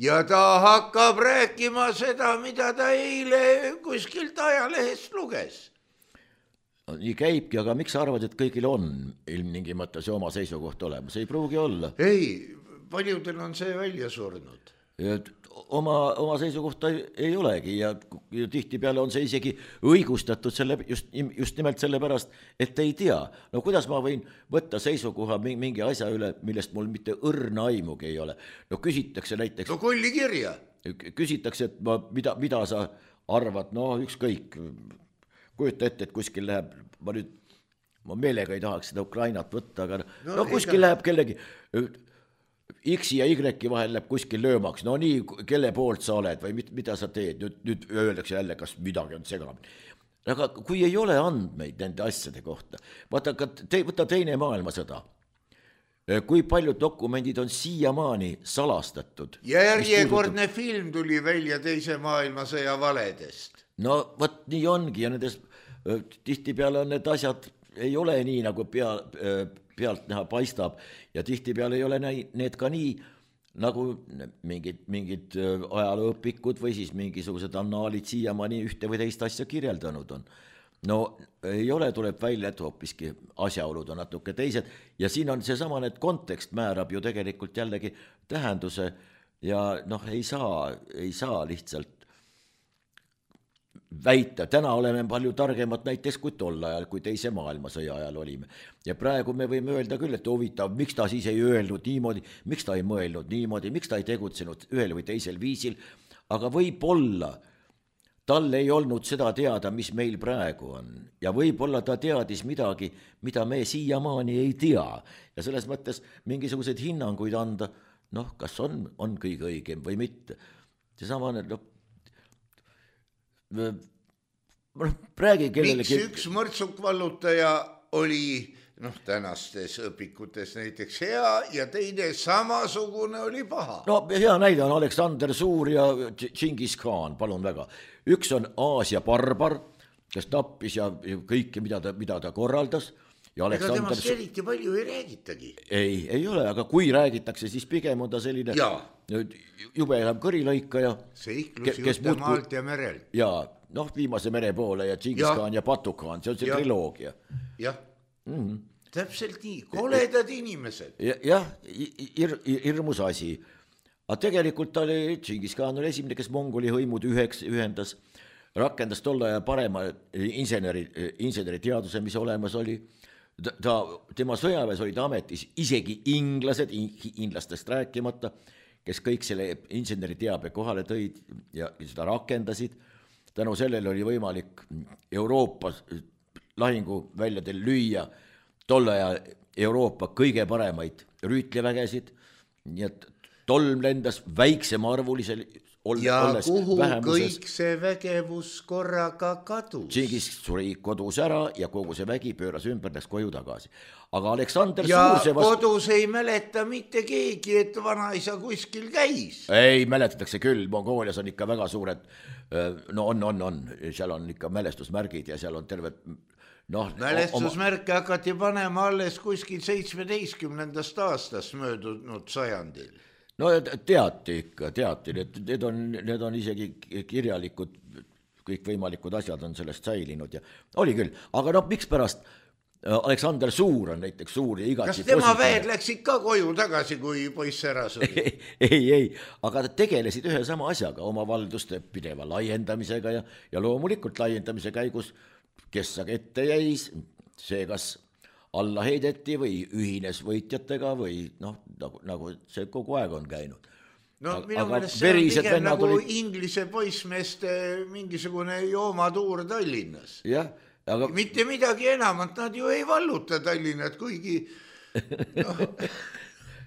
ja ta hakkab rääkima seda, mida ta eile kuskilt ajalehest luges. Nii käibki, aga miks arvad, et kõigil on ilmtingimata see oma seisukoht olemas? Ei pruugi olla. Ei, paljudel on see välja surnud. Oma, oma seisukohta ei, ei olegi ja, ja tihtipeale on see isegi õigustatud selle, just, just nimelt selle pärast, et ei tea. No kuidas ma võin võtta seisukoha mingi asja üle, millest mul mitte õrna aimugi ei ole? No küsitakse näiteks... No kolli kirja. Küsitakse, et ma, mida, mida sa arvad, no ükskõik, kujuta ette, et kuskil läheb, ma nüüd, ma meelega ei tahaks seda Ukrainat võtta, aga no, no kuskil ega... läheb kellegi... X ja Y vahel läheb kuskil löömaks, no nii, kelle poolt sa oled või mida sa teed, nüüd, nüüd öeldakse jälle, kas midagi on segamini. Aga kui ei ole andmeid nende asjade kohta, vaata, te, võta teine maailmasõda, kui paljud dokumendid on siiamaani salastatud. Ja järjekordne puudutab... film tuli välja teise maailmasõja valedest. No võt nii ongi ja nendes tihtipeale on need asjad, ei ole nii nagu pea... pealt näha paistab ja tihtipeale ei ole need ka nii, nagu mingid, mingid ajalooõpikud või siis mingisugused annaalid siiamaani ühte või teist asja kirjeldanud on. No ei ole, tuleb välja, et hoopiski asjaolud on natuke teised ja siin on seesama, et kontekst määrab ju tegelikult jällegi tähenduse ja noh, ei saa, ei saa lihtsalt väita, täna oleme palju targemad näiteks kui tol ajal, kui teise maailmasõja ajal olime. Ja praegu me võime öelda küll, et huvitav, miks ta siis ei öelnud niimoodi, miks ta ei mõelnud niimoodi, miks ta ei tegutsenud ühel või teisel viisil, aga võib-olla tal ei olnud seda teada, mis meil praegu on. Ja võib-olla ta teadis midagi, mida me siiamaani ei tea. Ja selles mõttes mingisuguseid hinnanguid anda, noh, kas on, on kõige õigem või mitte. Seesama, noh, Räägi kellelegi... Miks üks mõrtsukvallutaja oli noh, tänastes õpikutes näiteks hea ja teine samasugune oli paha? No hea näide on Aleksander Suur ja Džingis Khan, palun väga. Üks on Aasia barbar, kes tappis ja kõike, mida ta, mida ta korraldas. Ja Ega temast eriti palju ei räägitagi. Ei, ei ole, aga kui räägitakse, siis pigem on ta selline ja. Jube enam kõrilõikaja. Seiklus juhte maalt ja merelt. Ja, noh, Viimase mere poole ja Džingis Khan ja Batu-Khan, see on see ja. Triloogia. Jah, mm-hmm. Täpselt nii, koledad inimesed. Jah, ir, hirmus asi. Aga tegelikult oli, Džingis Khan oli esimene, kes Mongoli hõimud üheks ühendas, rakendas tolle aja parema inseneri, inseneri teaduse, mis olemas oli. Ta, tema sõjaväes olid ametis isegi inglased, inglastest rääkimata, kes kõik selle inseneri teabe kohale tõid ja seda rakendasid. Tänu sellele oli võimalik Euroopas lahinguväljadel lüüa tolle aja Euroopa kõige paremaid rüütlivägesid, nii et tolm lendas väiksema arvulisel, ol, ja olles kuhu vähemuses. kõik see vägevus korraga kadus? Tšingis suri kodus ära ja kogu see vägi pööras ümber, läks koju tagasi. Aga Aleksander ja Suur see vastu... kodus ei mäleta mitte keegi, et vanaisa kuskil käis. Ei, mäletatakse küll, Mongoolias on ikka väga suured, no on, on, on, seal on ikka mälestusmärgid ja seal on terved no, mälestusmärke oma... hakati panema alles kuskil seitsmeteistkümnendast aastast möödunud sajandil. No teati ikka, teati, need, need, on, need on isegi kirjalikud, kõikvõimalikud asjad on sellest säilinud ja oli küll, aga noh, miks pärast Aleksander Suur on näiteks suur ja igati kas tema väed läksid ka koju tagasi, kui poiss ära suri? ei, ei, aga tegelesid ühe sama asjaga, oma valduste pideva laiendamisega ja, ja loomulikult laiendamise käigus, kes aga ette jäis, see kas alla heideti või ühines võitjatega või noh, nagu, nagu see kogu aeg on käinud. No aga, minu meelest see on pigem nagu olid... Inglise poissmeeste mingisugune joomatuur Tallinnas. Jah, aga... mitte midagi enamat, nad ju ei valluta Tallinnat, kuigi noh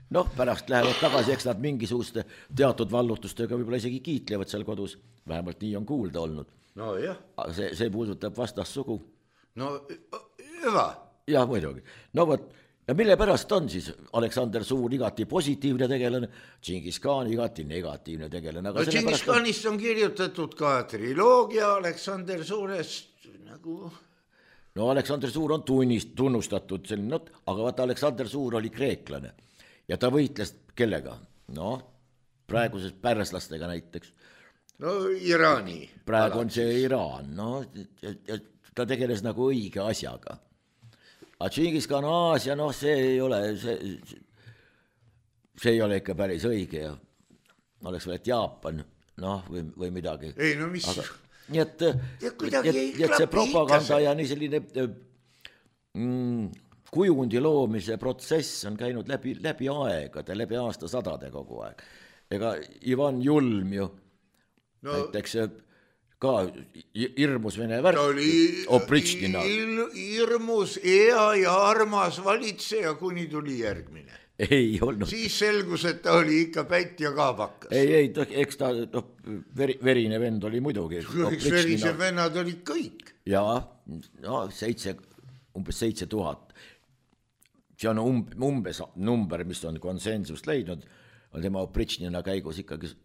noh, pärast lähevad tagasi, eks nad mingisuguste teatud vallutustega võib-olla isegi kiitlevad seal kodus, vähemalt nii on kuulda olnud. No jah. Aga see, see puudutab vastassugu. No hüva. Jah, muidugi. No võt, ja mille pärast on siis Aleksander Suur igati positiivne tegelane, Tšingis Khan igati negatiivne tegelane. No Tšingis Khanist on kirjutatud ka triloogia Aleksander Suurest nagu... No Aleksander Suur on tunnist, tunnustatud selline, aga vaata Aleksander Suur oli kreeklane ja ta võitles kellega? No, praeguses pärslastega näiteks. No Iraani. Praegu on see Iraan, no ja, ja ta tegeles nagu õige asjaga. Aga Tšingis Khan Aasia, noh, see ei ole, see, see ei ole ikka päris õige ja oleks veel, et Jaapan, noh, või, või midagi. Ei, no mis... Aga, nii et, et, et see propaganda ja nii selline mm, kujundi loomise protsess on käinud läbi, läbi aegade, läbi aastasadade kogu aeg. Ega Ivan Julm ju no, näiteks... ka hirmus vene värk. Ta oli hirmus, hea ja armas valitseja, kuni tuli järgmine. Ei olnud. Siis selgus, et ta oli ikka pätt ja kaabakas. Ei, ei, eks ta no, veri, verine vend oli muidugi. Eks verise vennad olid kõik. Ja, no seitse, umbes seitse tuhat. See on um, umbes number, mis on konsensust leidnud. Tema Opritšnina käigus ikkagi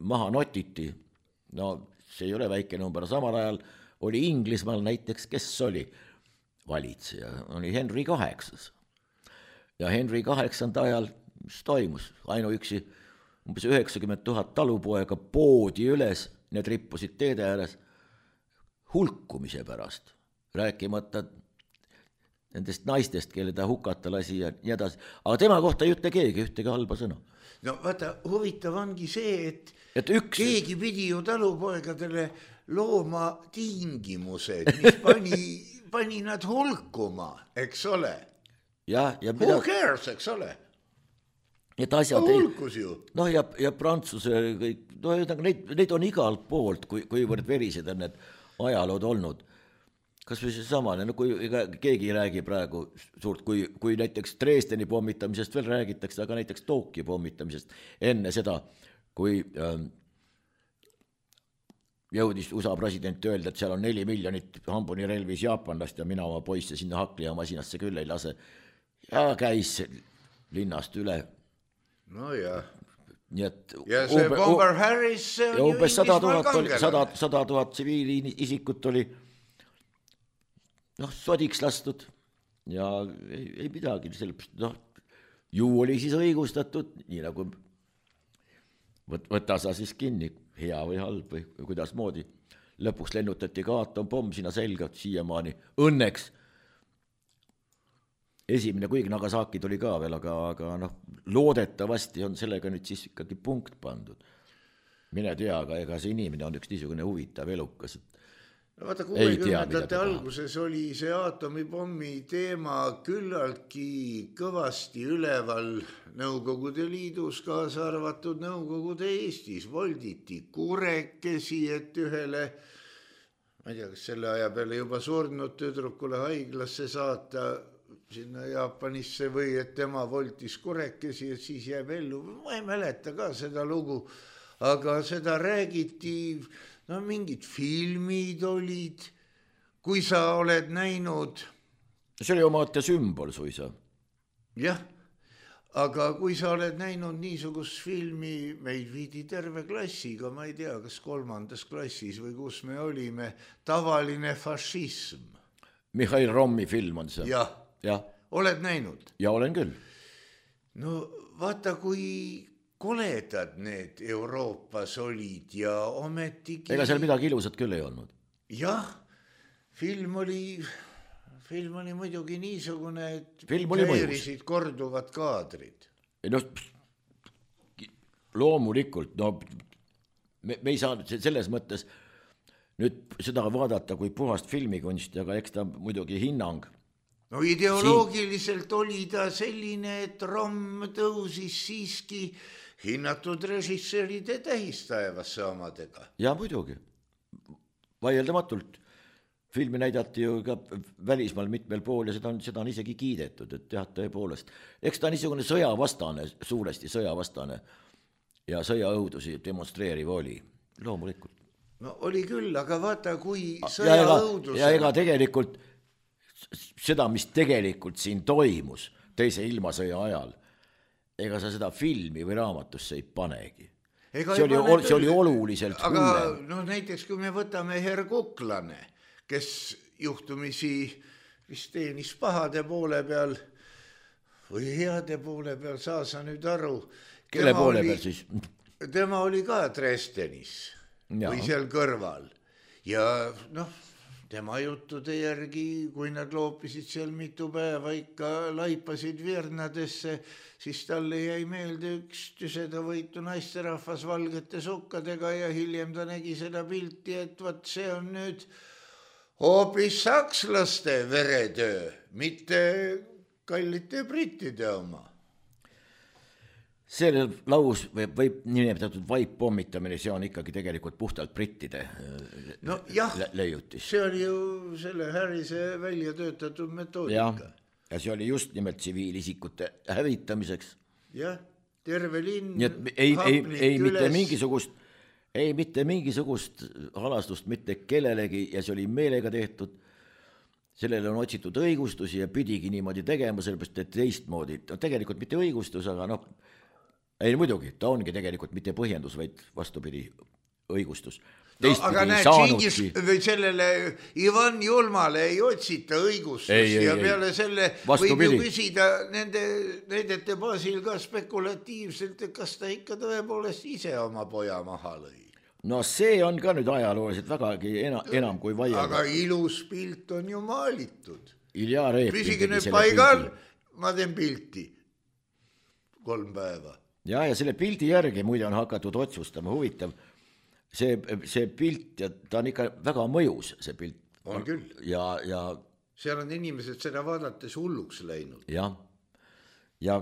maha notiti. No see ei ole väike number, samal ajal oli Inglismaal näiteks, kes oli valitseja, oli Henry kaheksas. Ja Henry kaheksanda ajal, mis toimus, ainuüksi umbes üheksakümmend tuhat talupoega poodi üles, need rippusid teede ääres hulkumise pärast, rääkimata nendest naistest, kelle ta hukata lasi ja nii edasi. Aga tema kohta ei ütle keegi ühtegi halba sõna. No vaata, huvitav ongi see, et, et üks... keegi pidi ju talupoegadele looma tingimused, mis pani, pani nad hulkuma, eks ole. Ja, ja mida... Who cares, eks ole? Et asjad no, hulkus ju. No ja, ja Prantsuse, kõik, no, neid, neid on igalt poolt, kui, kuivõrd verised on need ajalood olnud. Kas või see samane, no kui keegi ei räägi praegu suurt, kui, kui näiteks Dresdeni pommitamisest veel räägitakse, aga näiteks Tokyo pommitamisest enne seda, kui ähm, jõudis U S A president öelda, et seal on neli miljonit hambuni relvis jaapanlast ja mina oma poisse sinna hakli ja masinasse küll ei lase. Ja käis linnast üle. No jah. Nii et ja see umbe, Bomber Harris, see on ju Inglismaal kangelane. sada tuhat tsiviili isikut oli noh, sodiks lastud ja ei, ei midagi, sellepärast, noh, ju oli siis õigustatud, nii nagu võt, võta sa siis kinni, hea või halb või, või kuidas moodi. Lõpuks lennutati ka atompomm sinna selga, siiamaani õnneks. Esimene, kuigi Nagasaki tuli ka veel, aga, aga noh, loodetavasti on sellega nüüd siis ikkagi punkt pandud. Mine tea, aga ega see inimene on üks niisugune huvitav elukas, et no vaata, kuuekümnendate alguses oli see aatomipommi teema küllaltki kõvasti üleval Nõukogude Liidus, kaasa arvatud Nõukogude Eestis. Volditi kurekesi, et ühele, ma ei tea, kas selle aja peale juba surnud tüdrukule haiglasse saata sinna Jaapanisse või et tema voltis kurekesi, et siis jääb ellu. Ma ei mäleta ka seda lugu. aga seda räägiti, no mingid filmid olid, kui sa oled näinud. See oli omaette sümbol suisa. Jah, aga kui sa oled näinud niisugust filmi, meid viidi terve klassiga, ma ei tea, kas kolmandas klassis või kus me olime, Tavaline fašism. Mihhail Rommi film on see. Jah, ja. Oled näinud? Ja olen küll. No vaata, kui koledad need Euroopas olid ja ometigi... Ega seal midagi ilusat küll ei olnud. Jah, film oli, film oli muidugi niisugune, et mõjus. korduvad kaadrid. No, loomulikult, no me, me ei saa selles mõttes nüüd seda vaadata kui puhast filmikunsti, aga eks ta muidugi hinnang. No ideoloogiliselt Siin... oli ta selline, et Romm tõusis siiski hinnatud režissööride tähistaevasse omadega. Ja muidugi, vaieldamatult. Filmi näidati ju ka välismaal mitmel pool ja seda on, seda on isegi kiidetud, et jah, tõepoolest. Eks ta niisugune sõjavastane, suuresti sõjavastane ja sõjaõudusi demonstreeriv oli, loomulikult. No oli küll, aga vaata, kui sõjaõudus... Ja, ja ega tegelikult seda, mis tegelikult siin toimus teise ilmasõja ajal, ega sa seda filmi või raamatusse ei panegi. Ega see, ei oli, pane see oli oluliselt aga hullem. No näiteks, kui me võtame Herr Kuklane, kes juhtumisi vist teenis pahade poole peal või heade poole peal, saa sa nüüd aru. Kelle poole oli, peal siis? Tema oli ka Dresdenis ja. Või seal kõrval. Ja noh, tema juttude järgi, kui nad loopisid seal mitu päeva ikka laipasid virnadesse, siis talle jäi meelde üks tüsedavõitu naisterahvas valgete sukkadega ja hiljem ta nägi seda pilti, et vat see on nüüd hoopis sakslaste veretöö, mitte kallite brittide oma. See laus võib, võib nimetatud vaipommitamine, see on ikkagi tegelikult puhtalt brittide no, jah, leiutis. See oli ju selle Harrise välja töötatud metoodika. Ja, ja see oli just nimelt tsiviilisikute hävitamiseks. Jah, terve linn. Nii et ei, ei, ei mitte mingisugust, ei mitte mingisugust halastust mitte kellelegi ja see oli meelega tehtud. Sellele on otsitud õigustusi ja pidigi niimoodi tegema, sellepärast et teistmoodi. No, tegelikult mitte õigustus, aga noh, ei muidugi, ta ongi tegelikult mitte põhjendus, vaid vastupidi õigustus. No, aga näed, Tšingis või sellele Ivan Julmale ei otsita õigustust ei, ei, ja peale ei. Selle vastupidi. Võib ju küsida nende näidete baasil ka spekulatiivselt, et kas ta ikka tõepoolest ise oma poja maha lõi. No see on ka nüüd ajalooliselt vägagi enam, enam kui vaielda. Aga ilus pilt on ju maalitud. Ilja Reep. Püsige nüüd paigal, ma teen pilti kolm päeva. Ja, ja selle pildi järgi muide on hakatud otsustama, huvitav. See, see pilt, ja ta on ikka väga mõjus, see pilt. On küll. Ja, ja... seal on inimesed seda vaadates hulluks läinud. Ja, ja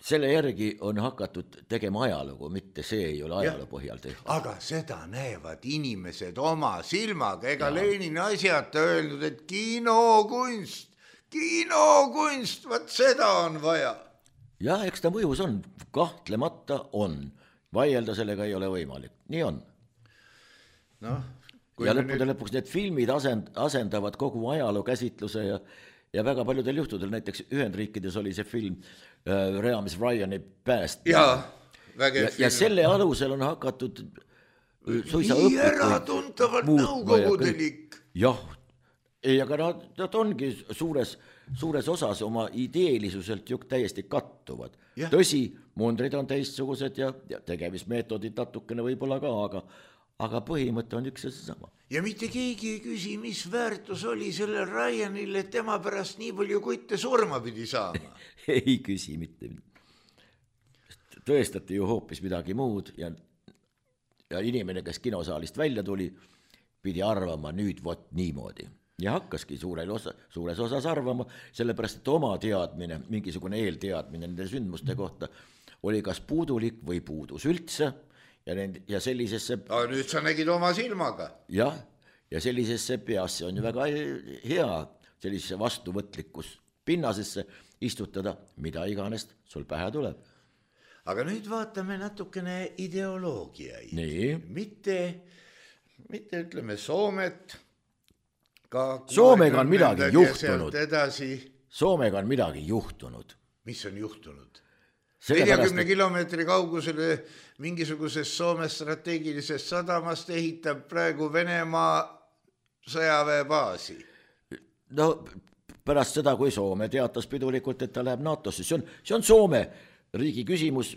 selle järgi on hakatud tegema ajalugu, mitte see ei ole ajaloo põhjal tehtud. Aga seda näevad inimesed oma silmaga, ega ja. Lenin asjata öelnud, et kinokunst, kinokunst, vaat seda on vaja. Ja, eks ta mõjus on, kahtlemata on, vaielda sellega ei ole võimalik, nii on. No, ja lõppude nüüd... lõpuks need filmid asend, asendavad kogu ajaloo käsitluse ja, ja väga paljudel juhtudel, näiteks Ühendriikides oli see film äh, Reamis Ryani pääst. Ja, vägev ja, film. Ja selle alusel on hakatud suisa nii äratuntavalt nõukogudelik. Jah, ei, aga nad, nad ongi suures, suures osas oma ideelisuselt ju täiesti kattuvad. Ja. Tõsi, mundrid on teistsugused ja, ja tegemismeetodid natukene võib-olla ka, aga, aga põhimõte on üks ja seesama. Ja mitte keegi ei küsi, mis väärtus oli sellel Ryanil, et tema pärast nii palju kutte surma pidi saama. Ei küsi mitte. Tõestati ju hoopis midagi muud ja, ja inimene, kes kinosaalist välja tuli, pidi arvama nüüd vot niimoodi. Ja hakkaski suures, osa, suures osas arvama, sellepärast, et oma teadmine, mingisugune eelteadmine nende sündmuste kohta oli kas puudulik või puudus üldse ja, nend, ja sellisesse... Aga nüüd sa nägid oma silmaga. Jah, ja sellisesse peasse on ju väga hea sellisesse vastuvõtlikus pinnasesse istutada, mida iganes sul pähe tuleb. aga nüüd vaatame natukene ideoloogiaid. Nii. Mitte, mitte ütleme Soomet. Soomega on midagi juhtunud. Edasi. Soomega on midagi juhtunud. Mis on juhtunud? neljakümne kilomeetri kaugusele mingisugusest Soome strateegilisest sadamast ehitab praegu Venemaa sõjaväebaasi. No pärast seda, kui Soome teatas pidulikult, et ta läheb NATOsse, see on, see on Soome riigi küsimus.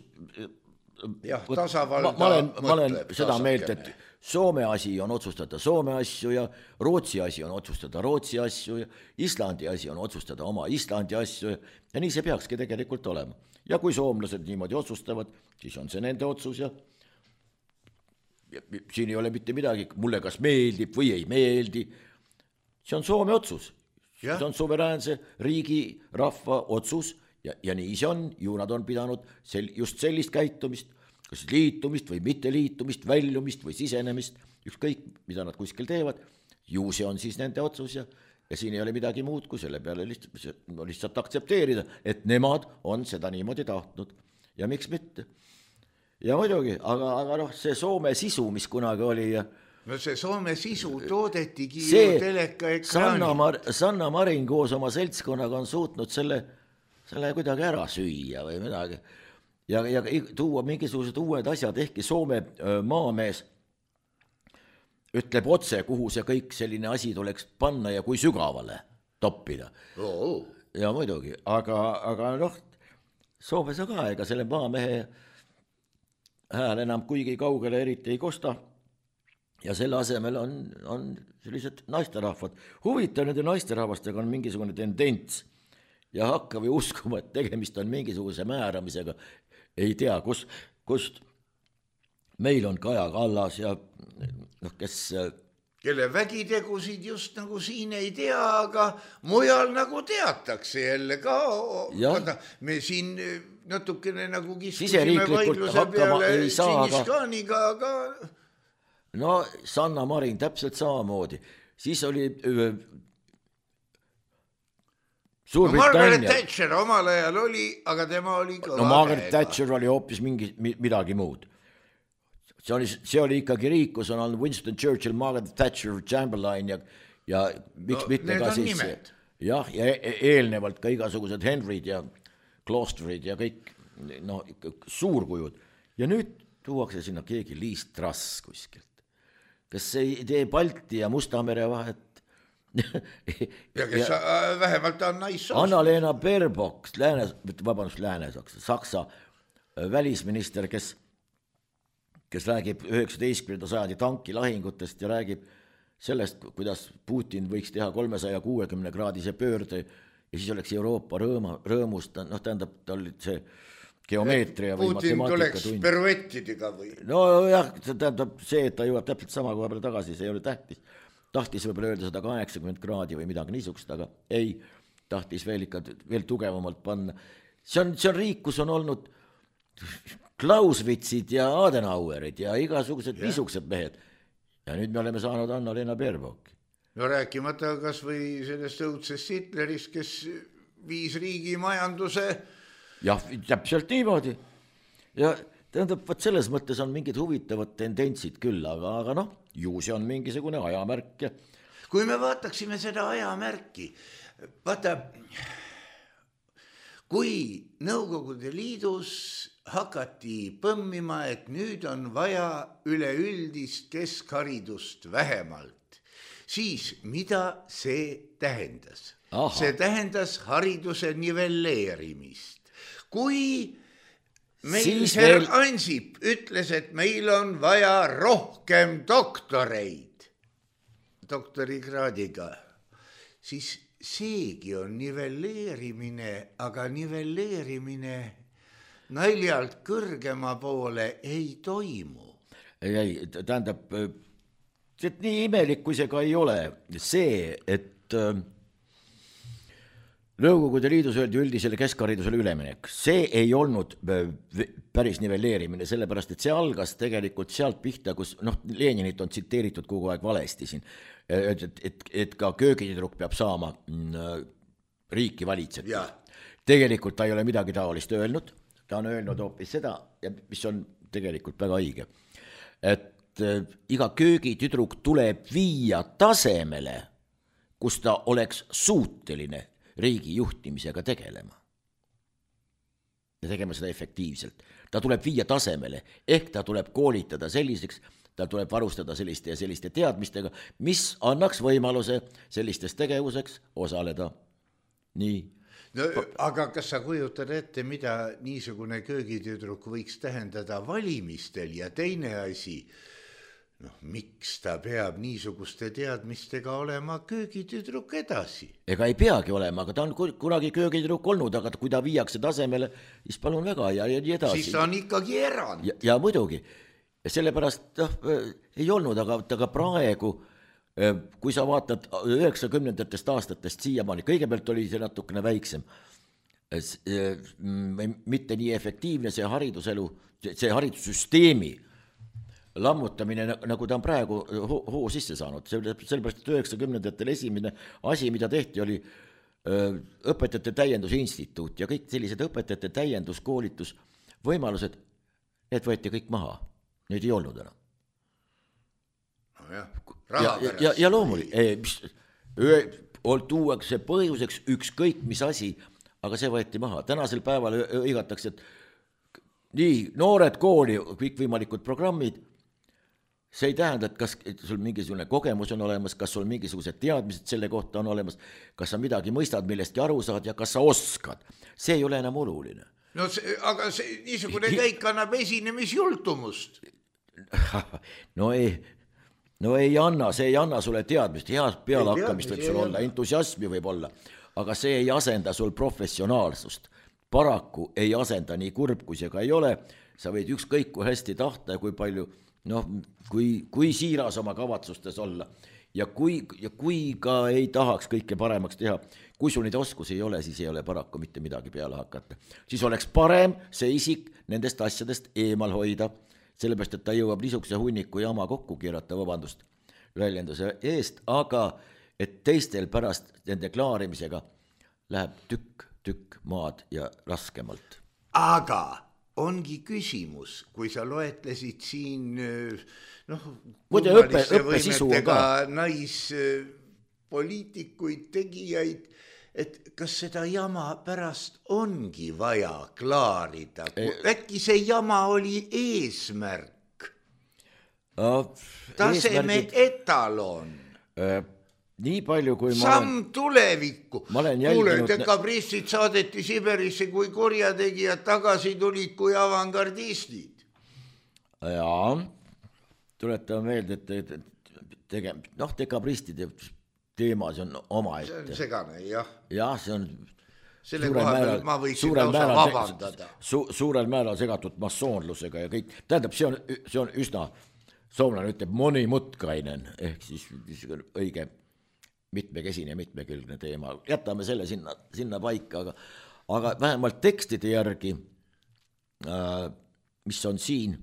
Jah, tasavalda ma olen, ma olen mõtleb, seda tasakene. meelt, et Soome asi on otsustada Soome asju ja Rootsi asi on otsustada Rootsi asju ja Islandi asi on otsustada oma Islandi asju ja nii see peakski tegelikult olema. Ja kui soomlased niimoodi otsustavad, siis on see nende otsus ja, ja siin ei ole mitte midagi, mulle kas meeldib või ei meeldi. See on Soome otsus. Ja. See on suveräänse riigi rahva otsus ja, ja nii see on, ju nad on pidanud sel, just sellist käitumist, kas liitumist või mitte liitumist, väljumist või sisenemist, ükskõik mida nad kuskil teevad, ju see on siis nende otsus ja, ja siin ei ole midagi muud kui selle peale lihtsalt, lihtsalt aktsepteerida, et nemad on seda niimoodi tahtnud ja miks mitte. Ja muidugi, aga, aga noh, see Soome sisu, mis kunagi oli ja no see Soome sisu toodetigi see ju teleka ekraani. Sanna, Mar- Sanna Marin koos oma seltskonnaga on suutnud selle, selle kuidagi ära süüa või midagi. Ja, ja tuua mingisugused uued asjad, ehkki Soome maamees ütleb otse, kuhu see kõik selline asi tuleks panna ja kui sügavale toppida. Oh. Ja muidugi, aga, aga noh, Soomes on ka, ega selle maamehe hääl enam kuigi kaugele eriti ei kosta ja selle asemel on, on sellised naisterahvad. Huvitav nende naisterahvastega on mingisugune tendents ja hakka või uskuma, et tegemist on mingisuguse määramisega. Ei tea, kus, kust meil on Kaja Kallas ja noh, kes kelle vägitegusid just nagu siin ei tea, aga mujal nagu teatakse jälle ka. Vaata, me siin natukene nagu kiskusime vaidluse peale Tšingiskaaniga, aga no Sanna Marin täpselt samamoodi. Siis oli No Margaret Thatcher omal ajal oli, aga tema oli kõva no Margaret Thatcher oli hoopis mingi, midagi muud. See oli, see oli ikkagi riik, kus on olnud Winston Churchill, Margaret Thatcher, Chamberlain ja, ja miks no, mitte ka siis nimed. Jah, ja eelnevalt ka igasugused Henryd ja Gloucesterid ja kõik no, suurkujud. Ja nüüd tuuakse sinna keegi Liis Truss kuskilt, kes ei tee Balti ja Musta mere vahet. ja kes ja, vähemalt on naissoost. Anna-Leena Baerbock, lääne, vabandust, lääne-saksa, saksa välisminister, kes, kes räägib üheksateistkümnenda sajandi tankilahingutest ja räägib sellest, kuidas Putin võiks teha kolmesaja kuuekümne kraadise pöörde ja siis oleks Euroopa rõõma, rõõmust, noh tähendab, ta oli see geomeetria või Putin matemaatika tund. Peruettidega või? No jah, see tähendab see, et ta jõuab täpselt sama koha peale tagasi, see ei ole tähtis. Tahtis võib-olla öelda sada kaheksakümmend kraadi või midagi niisugust, aga ei, tahtis veel ikka veel tugevamalt panna. See on, see on riik, kus on olnud Clausewitzid ja Adenauerid ja igasugused niisugused mehed. Ja nüüd me oleme saanud Anna-Leena Baerbocki. No rääkimata kas või sellest õudsest Hitlerist, kes viis riigi majanduse. Jah, täpselt niimoodi. Ja tähendab, võt selles mõttes on mingid huvitavad tendentsid küll, aga, aga noh, ju see on mingisugune ajamärk. Ja... Kui me vaataksime seda ajamärki, vaata, kui Nõukogude Liidus hakati põmmima, et nüüd on vaja üleüldist keskharidust vähemalt, siis mida see tähendas? Aha. See tähendas hariduse nivelleerimist. Kui meil Herr veel... Ansip ütles, et meil on vaja rohkem doktoreid, doktorikraadiga, siis seegi on nivelleerimine, aga nivelleerimine naljalt kõrgema poole ei toimu. Ei, ei, tähendab, et nii imelik kui see ka ei ole, see, et Nõukogude Liidus öeldi üldisele keskharidusele üleminek. See ei olnud päris nivelleerimine, sellepärast, et see algas tegelikult sealt pihta, kus, noh, Leninit on tsiteeritud kogu aeg valesti siin, et, et, et ka köögitüdruk peab saama riiki valitseda. Tegelikult ta ei ole midagi taolist öelnud, ta on öelnud hoopis seda, mis on tegelikult väga õige, et iga köögitüdruk tuleb viia tasemele, kus ta oleks suuteline riigi juhtimisega tegelema. Ja tegema seda efektiivselt. Ta tuleb viia tasemele, ehk ta tuleb koolitada selliseks, ta tuleb varustada selliste ja selliste teadmistega, mis annaks võimaluse sellistes tegevuseks osaleda. Nii. No, aga kas sa kujutad ette, mida niisugune köögitüdruk võiks tähendada valimistel ja teine asi, noh, miks ta peab niisuguste teadmistega olema köögitüdruk edasi? Ega ei peagi olema, aga ta on kunagi köögitüdruk olnud, aga kui ta viiakse tasemele, siis palun väga ja nii edasi. Siis ta on ikkagi erand. Ja, ja muidugi, sellepärast noh, ei olnud, aga, aga praegu, kui sa vaatad üheksakümnendatest aastatest siiamaani, kõigepealt oli see natukene väiksem, mitte nii efektiivne see hariduselu, see haridussüsteemi lammutamine, nagu ta on praegu hoo sisse saanud, sellepärast, et üheksakümnendatel esimene asi, mida tehti, oli õpetajate täiendusinstituut ja kõik sellised õpetajate täienduskoolitus võimalused, need võeti kõik maha, neid ei olnud enam. Ja, ja, ja, ja loomulik, tuuakse põhjuseks ükskõik mis asi, aga see võeti maha. Tänasel päeval õigatakse, et nii, noored kooli, kõik võimalikud programmid, see ei tähenda, et kas sul mingisugune kogemus on olemas, kas sul mingisugused teadmised selle kohta on olemas, kas sa midagi mõistad, millestki aru saad ja kas sa oskad. See ei ole enam oluline. No see, aga see niisugune käik annab esinemisjultumust. No ei... No ei anna, see ei anna sulle teadmist, head pealehakkamist võib sul olla, entusiasmi võib olla, aga see ei asenda sul professionaalsust. Paraku ei asenda, nii kurb kui see ka ei ole, sa võid ükskõik kui hästi tahta ja kui palju, noh, kui, kui siiras oma kavatsustes olla ja kui, ja kui ka ei tahaks kõike paremaks teha, kui sul neid oskusi ei ole, siis ei ole paraku mitte midagi peale hakata. Siis oleks parem see isik nendest asjadest eemal hoida, sellepärast, et ta jõuab niisuguse hunniku jama kokku keerata, vabandust väljenduse eest, aga et teistel pärast nende klaarimisega läheb tükk, tükk maad ja raskemalt. Aga ongi küsimus, kui sa loetlesid siin noh, kummalisse võimetega naispoliitikuid, tegijaid, et kas seda jama pärast ongi vaja klaarida? Äkki see jama oli eesmärk? No, taseme etalon? Äh, nii palju, kui ma Samm olen... tulevikku. Kuule, dekabrissid saadeti Siberisse kui korjategijad, tagasi tulid kui avangardistid. Jaa, tuletame meelde, et tege... noh, dekabristide teema, see on oma ette. See on segane, jah. Jah, see on selle koha peal ma võiksin lausa vabandada. Su, suurel määral segatud massoonlusega ja kõik. Tähendab, see on, see on üsna, soomlane ütleb monimutkainen, ehk siis õige mitmekesine, mitmekülgne teema. Jätame selle sinna, sinna paika, aga, aga vähemalt tekstide järgi, äh, mis on siin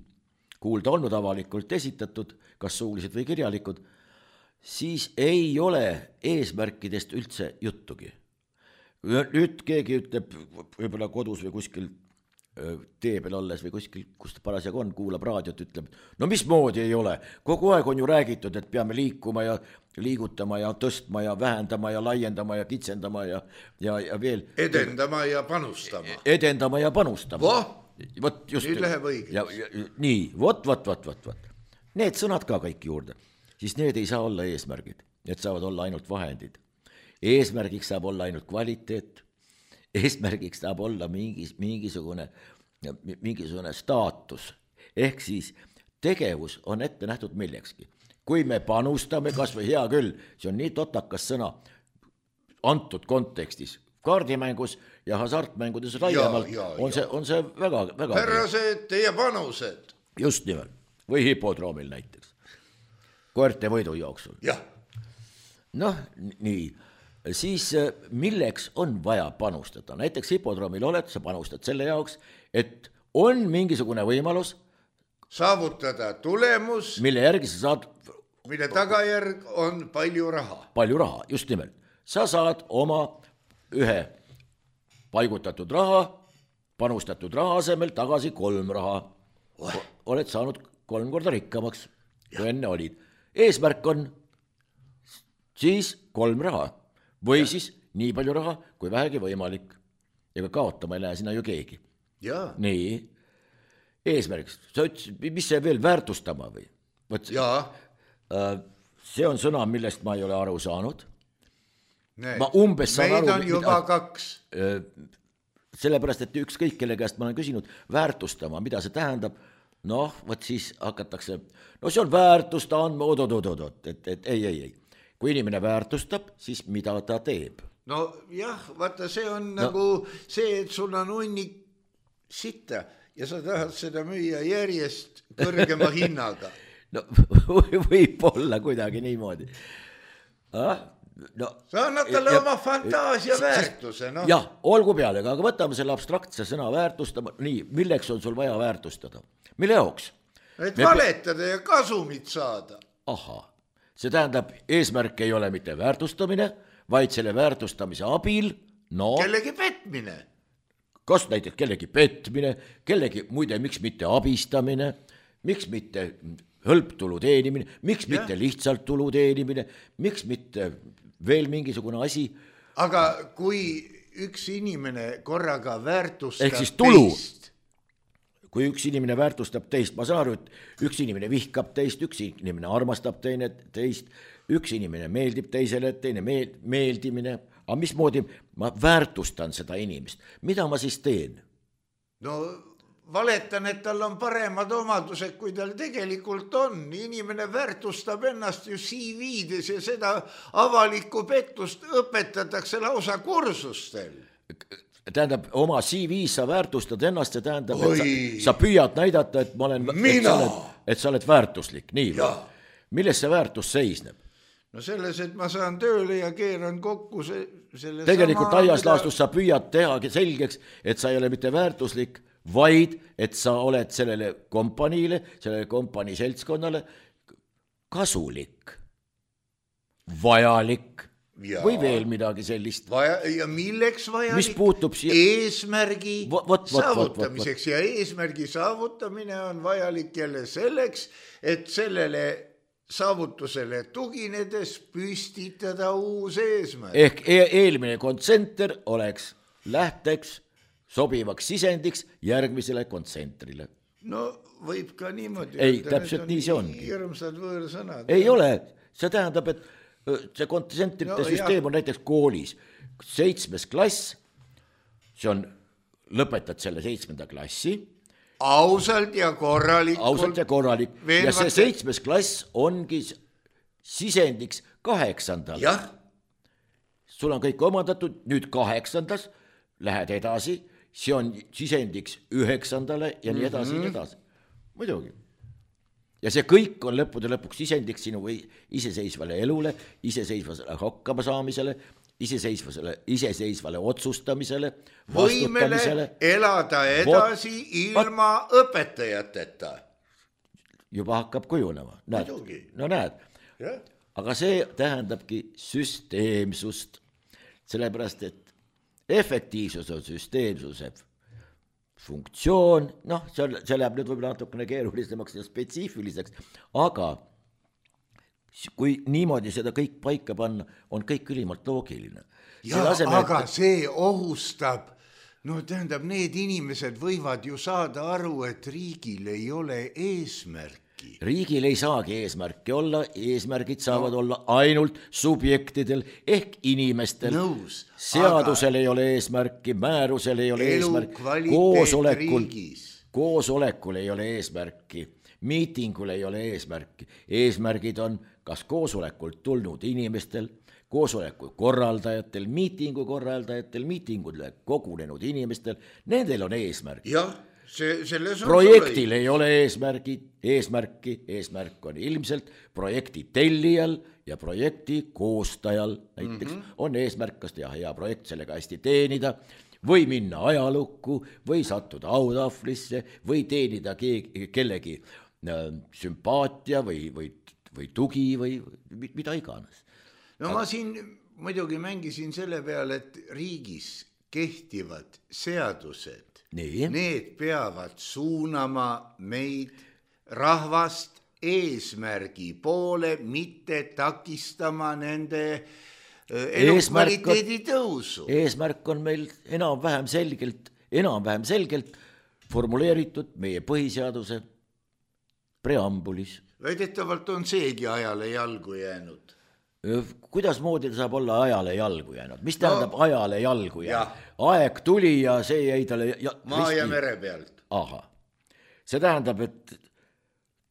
kuulda olnud avalikult esitatud, kas suulised või kirjalikud, siis ei ole eesmärkidest üldse juttugi. Nüüd keegi ütleb võib-olla kodus või kuskil tee peal olles või kuskil, kus ta parasjagu on, kuulab raadiot, ütleb, no mis moodi ei ole, kogu aeg on ju räägitud, et peame liikuma ja liigutama ja tõstma ja vähendama ja laiendama ja kitsendama ja, ja, ja veel. Edendama ja panustama. Edendama ja panustama. Voh, Võt, just, nüüd läheb õigeks. Nii, vot, vot, vot, vot, vot. Need sõnad ka kõik juurde. Siis need ei saa olla eesmärgid, need saavad olla ainult vahendid. Eesmärgiks saab olla ainult kvaliteet, eesmärgiks saab olla mingis, mingisugune, mingisugune staatus, ehk siis tegevus on ette nähtud millekski. Kui me panustame, kas või hea küll, see on nii totakas sõna antud kontekstis, kaardimängus ja hasartmängudes laiemalt ja, ja, on, see, on see väga, väga härrased, teie panused. Just nimelt, või hipodroomil näiteks. Koerte võidu jooksul. Jah. Noh, nii. Siis milleks on vaja panustada? Näiteks hipodroomil oled, sa panustad selle jaoks, et on mingisugune võimalus saavutada tulemus, mille järgi sa saad, mille tagajärg on palju raha. Palju raha, just nimelt. Sa saad oma ühe paigutatud raha panustatud raha asemel tagasi kolm raha. Oled saanud kolm korda rikkamaks, kui enne olid. Eesmärk on siis kolm raha või ja. Siis nii palju raha, kui vähegi võimalik. Ega kaotama ei lähe sinna ju keegi. Ja. Nii, eesmärgiks. Sa ütlesid, mis see veel väärtustama või? Võt, see on sõna, millest ma ei ole aru saanud. Nee. Ma umbes saan Meid aru. on juba mida, kaks. Sellepärast, et ükskõik, kelle käest ma olen küsinud väärtustama, mida see tähendab, noh, võt siis hakatakse, no see on väärtusta andma, ododododot, et, et ei, ei, ei. Kui inimene väärtustab, siis mida ta teeb? No jah, vaata, see on no. nagu see, et sul on hunnik sitta ja sa tahad seda müüa järjest kõrgema hinnaga. No võib olla kuidagi niimoodi. Ah, no, sa annad talle ja, oma fantaasia väärtuse. No. Jah, olgu peale, aga võtame selle abstraktse sõna väärtustama. Nii, milleks on sul vaja väärtustada? Mille jaoks? Et Me... valetada ja kasumit saada. Aha, see tähendab, eesmärk ei ole mitte väärtustamine, vaid selle väärtustamise abil, no... Kellegi petmine. Kas näiteks kellegi petmine, kellegi, muide, miks mitte abistamine, miks mitte hõlptulu teenimine, miks ja. Mitte lihtsalt tulu teenimine, miks mitte veel mingisugune asi. Aga kui üks inimene korraga väärtustab ehk siis tulu. Teist. Kui üks inimene väärtustab teist, ma saan aru, et üks inimene vihkab teist, üks inimene armastab teine teist, üks inimene meeldib teisele, teine meeldimine, aga mismoodi ma väärtustan seda inimest, mida ma siis teen? No valetan, et tal on paremad omadused, kui tal tegelikult on. Inimene väärtustab ennast ju C V-des ja seda avalikku pettust õpetatakse lausa kursustel. Tähendab, oma C V-s sa väärtustad ennast, see tähendab, et sa, sa püüad näidata, et ma olen, et sa, oled, et sa oled väärtuslik. Nii või? Milles see väärtus seisneb? No selles, et ma saan tööle ja keeran kokku se, selle tegelikult sama... aias laastus sa püüad teha selgeks, et sa ei ole mitte väärtuslik, vaid et sa oled sellele kompaniile, sellele kompanii seltskonnale kasulik, vajalik ja. Või veel midagi sellist. Vaja, ja milleks vajalik? Mis puutub siia? Eesmärgi vot, vot, saavutamiseks vot, vot, vot. Ja eesmärgi saavutamine on vajalik jälle selleks, et sellele saavutusele tuginedes püstitada uus eesmärk. Ehk e- eelmine kontsenter oleks lähteks sobivaks sisendiks järgmisele kontsentrile. No võib ka niimoodi. Ei, täpselt nii see ongi. Hirmsad võõrsõnad. Ei ole, see tähendab, et see kontsentrite no, süsteem jah. On näiteks koolis. Seitsmes klass, see on, lõpetad selle seitsmenda klassi, ausalt ja korralikult. Ausalt ja korralik. Ja see seitsmes klass ongi sisendiks kaheksandal. Jah. Sul on kõik omandatud, nüüd kaheksandas, lähed edasi, see on sisendiks üheksandale ja nii edasi mm-hmm. ja edasi. Muidugi. Ja see kõik on lõppude lõpuks sisendiks sinu iseseisvale elule, iseseisvale hakkama saamisele, iseseisvale, iseseisvale otsustamisele, võimele elada edasi Vot, ilma at, õpetajateta. Juba hakkab kujunema. Näed, no näed. Ja. Aga see tähendabki süsteemsust, sellepärast, et efektiivsus on süsteemsuse funktsioon, noh, see, see läheb nüüd võib-olla natukene keerulisemaks ja spetsiifiliseks, aga kui niimoodi seda kõik paika panna, on kõik ülimalt loogiline. Ja, asemel, aga et... see ohustab, no tähendab, need inimesed võivad ju saada aru, et riigil ei ole eesmärki. Riigil ei saagi eesmärki olla, eesmärgid saavad no. olla ainult subjektidel ehk inimestel. Nõus, seadusel aga... ei ole eesmärki, määrusel ei ole eesmärki, koosolekul, koosolekul ei ole eesmärki, miitingul ei ole eesmärki. Eesmärgid on kas koosolekult tulnud inimestel, koosoleku korraldajatel, miitingu korraldajatel, miitingule kogunenud inimestel, nendel on eesmärk. Jah. See, projektil ei ole eesmärgi, eesmärki, eesmärk on ilmselt projekti tellijal ja projekti koostajal näiteks mm-hmm. on eesmärk, kas teha hea projekt, sellega hästi teenida või minna ajalukku või sattuda autahvlisse või teenida keegi, kellegi äh, sümpaatia või, või, või tugi või mida iganes. No Aga... ma siin muidugi mängisin selle peale, et riigis kehtivad seadused Nii. Need peavad suunama meid rahvast eesmärgi poole, mitte takistama nende elukvaliteedi tõusu. Eesmärk on meil enam-vähem selgelt, enam-vähem selgelt formuleeritud meie põhiseaduse preambulis. Väidetavalt on seegi ajale jalgu jäänud. Kuidas moodi ta saab olla ajale jalgu jäänud? Mis tähendab no, ajale jalgu jäänud? Aeg tuli ja see jäi talle... Ja, maa risti... ja mere pealt. Aha. See tähendab, et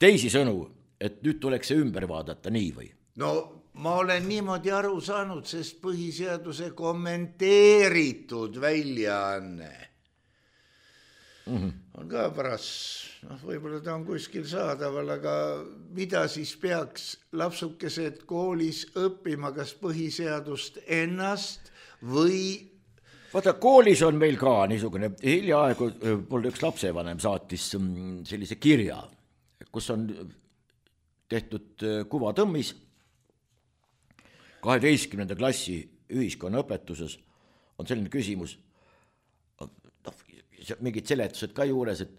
teisi sõnu, et nüüd tuleks see ümber vaadata nii või? No ma olen niimoodi aru saanud, sest põhiseaduse kommenteeritud väljaanne mm-hmm. on ka paras, noh, võib-olla ta on kuskil saadaval, aga mida siis peaks lapsukesed koolis õppima, kas põhiseadust ennast või... Vaata, koolis on meil ka niisugune, hiljaaegu mulle üks lapsevanem saatis sellise kirja, kus on tehtud kuvatõmmis kaheteistkümnenda klassi ühiskonnaõpetuses on selline küsimus, mingid seletused ka juures, et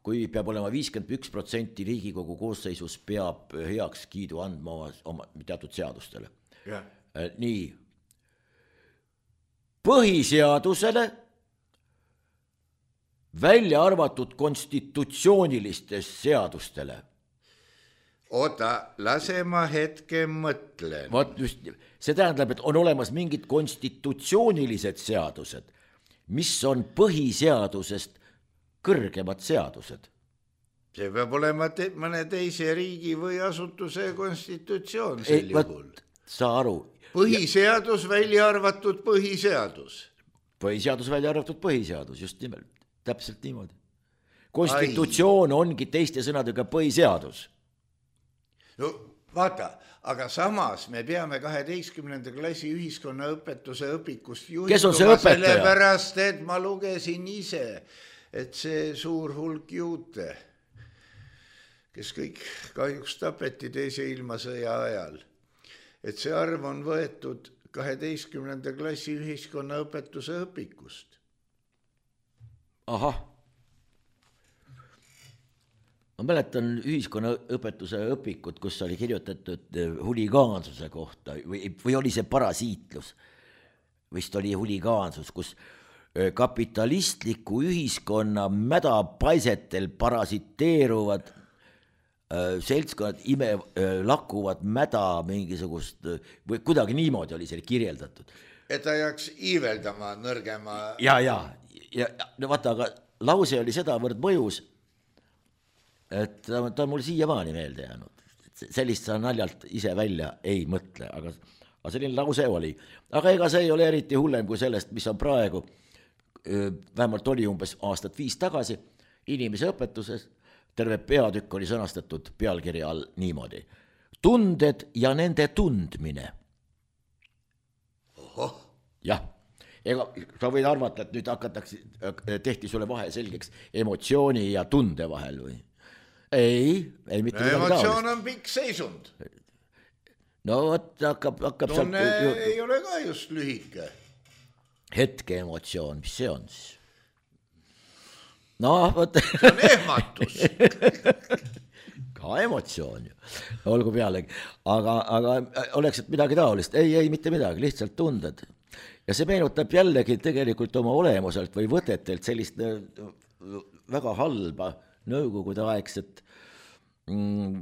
kui peab olema viiskümmend üks protsenti Riigikogu koosseisus peab heaks kiidu andma oma, oma teatud seadustele. Yeah. Nii, põhiseadusele välja arvatud konstitutsioonilistest seadustele. Oota, lase ma hetke mõtlen. Vaat just, see tähendab, et on olemas mingid konstitutsioonilised seadused, mis on põhiseadusest kõrgemad seadused. See peab olema te- mõne teise riigi või asutuse konstitutsioon sel Ei, juhul. Sa aru. Põhiseadus välja arvatud põhiseadus. Põhiseadus välja arvatud põhiseadus, just nimelt. Täpselt niimoodi. Konstitutsioon Ai. ongi teiste sõnadega põhiseadus. No vaata, aga samas me peame kaheteistkümnenda klassi ühiskonnaõpetuse õpikust juhinduma sellepärast, et ma lugesin ise, et see suur hulk juute, kes kõik kahjuks tapeti teise ilmasõja ajal, et see arv on võetud kaheteistkümnenda klassi ühiskonnaõpetuse õpikust. Ahah. Ma mäletan ühiskonnaõpetuse õpikut, kus oli kirjutatud huligaansuse kohta või, või oli see parasiitlus, vist oli huligaansus, kus kapitalistliku ühiskonna mädapaisetel parasiteeruvad seltskonnad ime lakuvad mäda mingisugust või kuidagi niimoodi oli see kirjeldatud. Et ta jääks iiveldama nõrgema. Ja, ja, ja no vaata, aga lause oli sedavõrd mõjus, et ta, ta on mul siiamaani meelde jäänud. Sellist sa naljalt ise välja ei mõtle, aga, aga selline lause oli. Aga ega see ei ole eriti hullem kui sellest, mis on praegu, vähemalt oli umbes aastat viis tagasi, inimese õpetuses, terve peatükk oli sõnastatud pealkirja all niimoodi. Tunded ja nende tundmine. Ohoh. Jah. Ega sa võid arvata, et nüüd hakatakse, tehti sulle vahe selgeks emotsiooni ja tunde vahel või? Ei, ei mitte midagi taolist. Emotsioon on pikk seisund. No võt, hakkab, hakkab Tunne sealt... ei ole ka just lühike. Hetke emotsioon, mis see on siis? No, võt... See on ehmatus. Ka emotsioon ju, olgu pealegi. Aga, aga oleks et midagi taolist? Ei, ei, mitte midagi, lihtsalt tunded. Ja see meenutab jällegi tegelikult oma olemuselt või võtetelt sellist väga halba nõukogude aegset mm,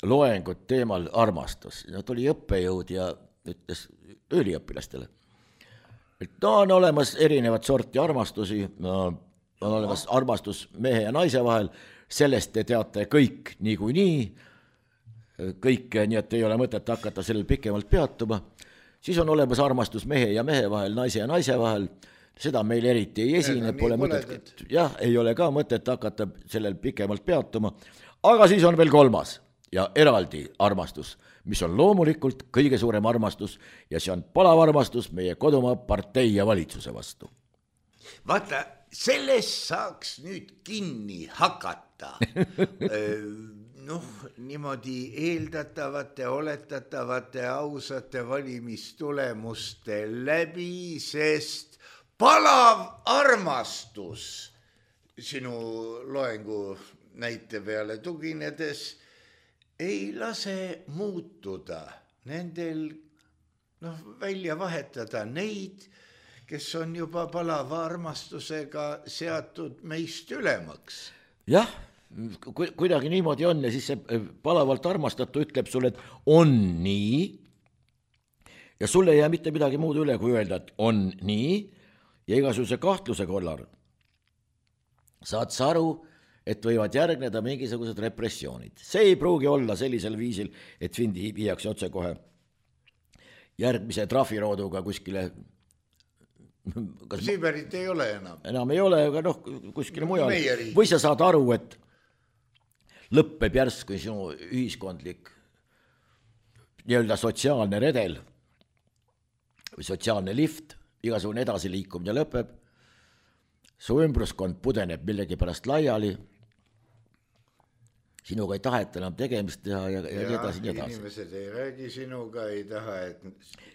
loengut teemal armastus. No, tuli õppejõud ja ütles üliõpilastele, et no, on olemas erinevad sorti armastusi, no, on olemas armastus mehe ja naise vahel, sellest te teate kõik niikuinii, kõik, nii et ei ole mõtet hakata sellel pikemalt peatuma. Siis on olemas armastus mehe ja mehe vahel, naise ja naise vahel, seda meil eriti ei esine, pole mõtet, jah, ei ole ka mõtet hakata sellel pikemalt peatuma, aga siis on veel kolmas ja eraldi armastus, mis on loomulikult kõige suurem armastus ja see on palav armastus meie kodumaa partei ja valitsuse vastu. Vaata, sellest saaks nüüd kinni hakata. Noh, niimoodi eeldatavate, oletatavate, ausate valimistulemuste läbi, sest palav armastus sinu loengu näite peale tuginedes ei lase muutuda nendel, noh, välja vahetada neid, kes on juba palava armastusega seatud meist ülemaks. Jah, kuidagi niimoodi on ja siis see palavalt armastatu ütleb sulle, et on nii ja sulle ei jää mitte midagi muud üle, kui öelda, et on nii ja igasuguse kahtluse korral saad sa aru, et võivad järgneda mingisugused repressioonid. See ei pruugi olla sellisel viisil, et sind viiakse otse kohe järgmise trahvirooduga kuskile. Kas Siiberit ei ole enam. Enam ei ole, aga noh, kuskile mujal. Või sa saad aru, et lõppeb järsku sinu ühiskondlik nii-öelda sotsiaalne redel või sotsiaalne lift, igasugune edasiliikumine lõpeb, su ümbruskond pudeneb millegi pärast laiali, sinuga ei taheta enam tegemist teha ja, ja, ja edasi nii edasi. Inimesed ei räägi sinuga, ei taha, et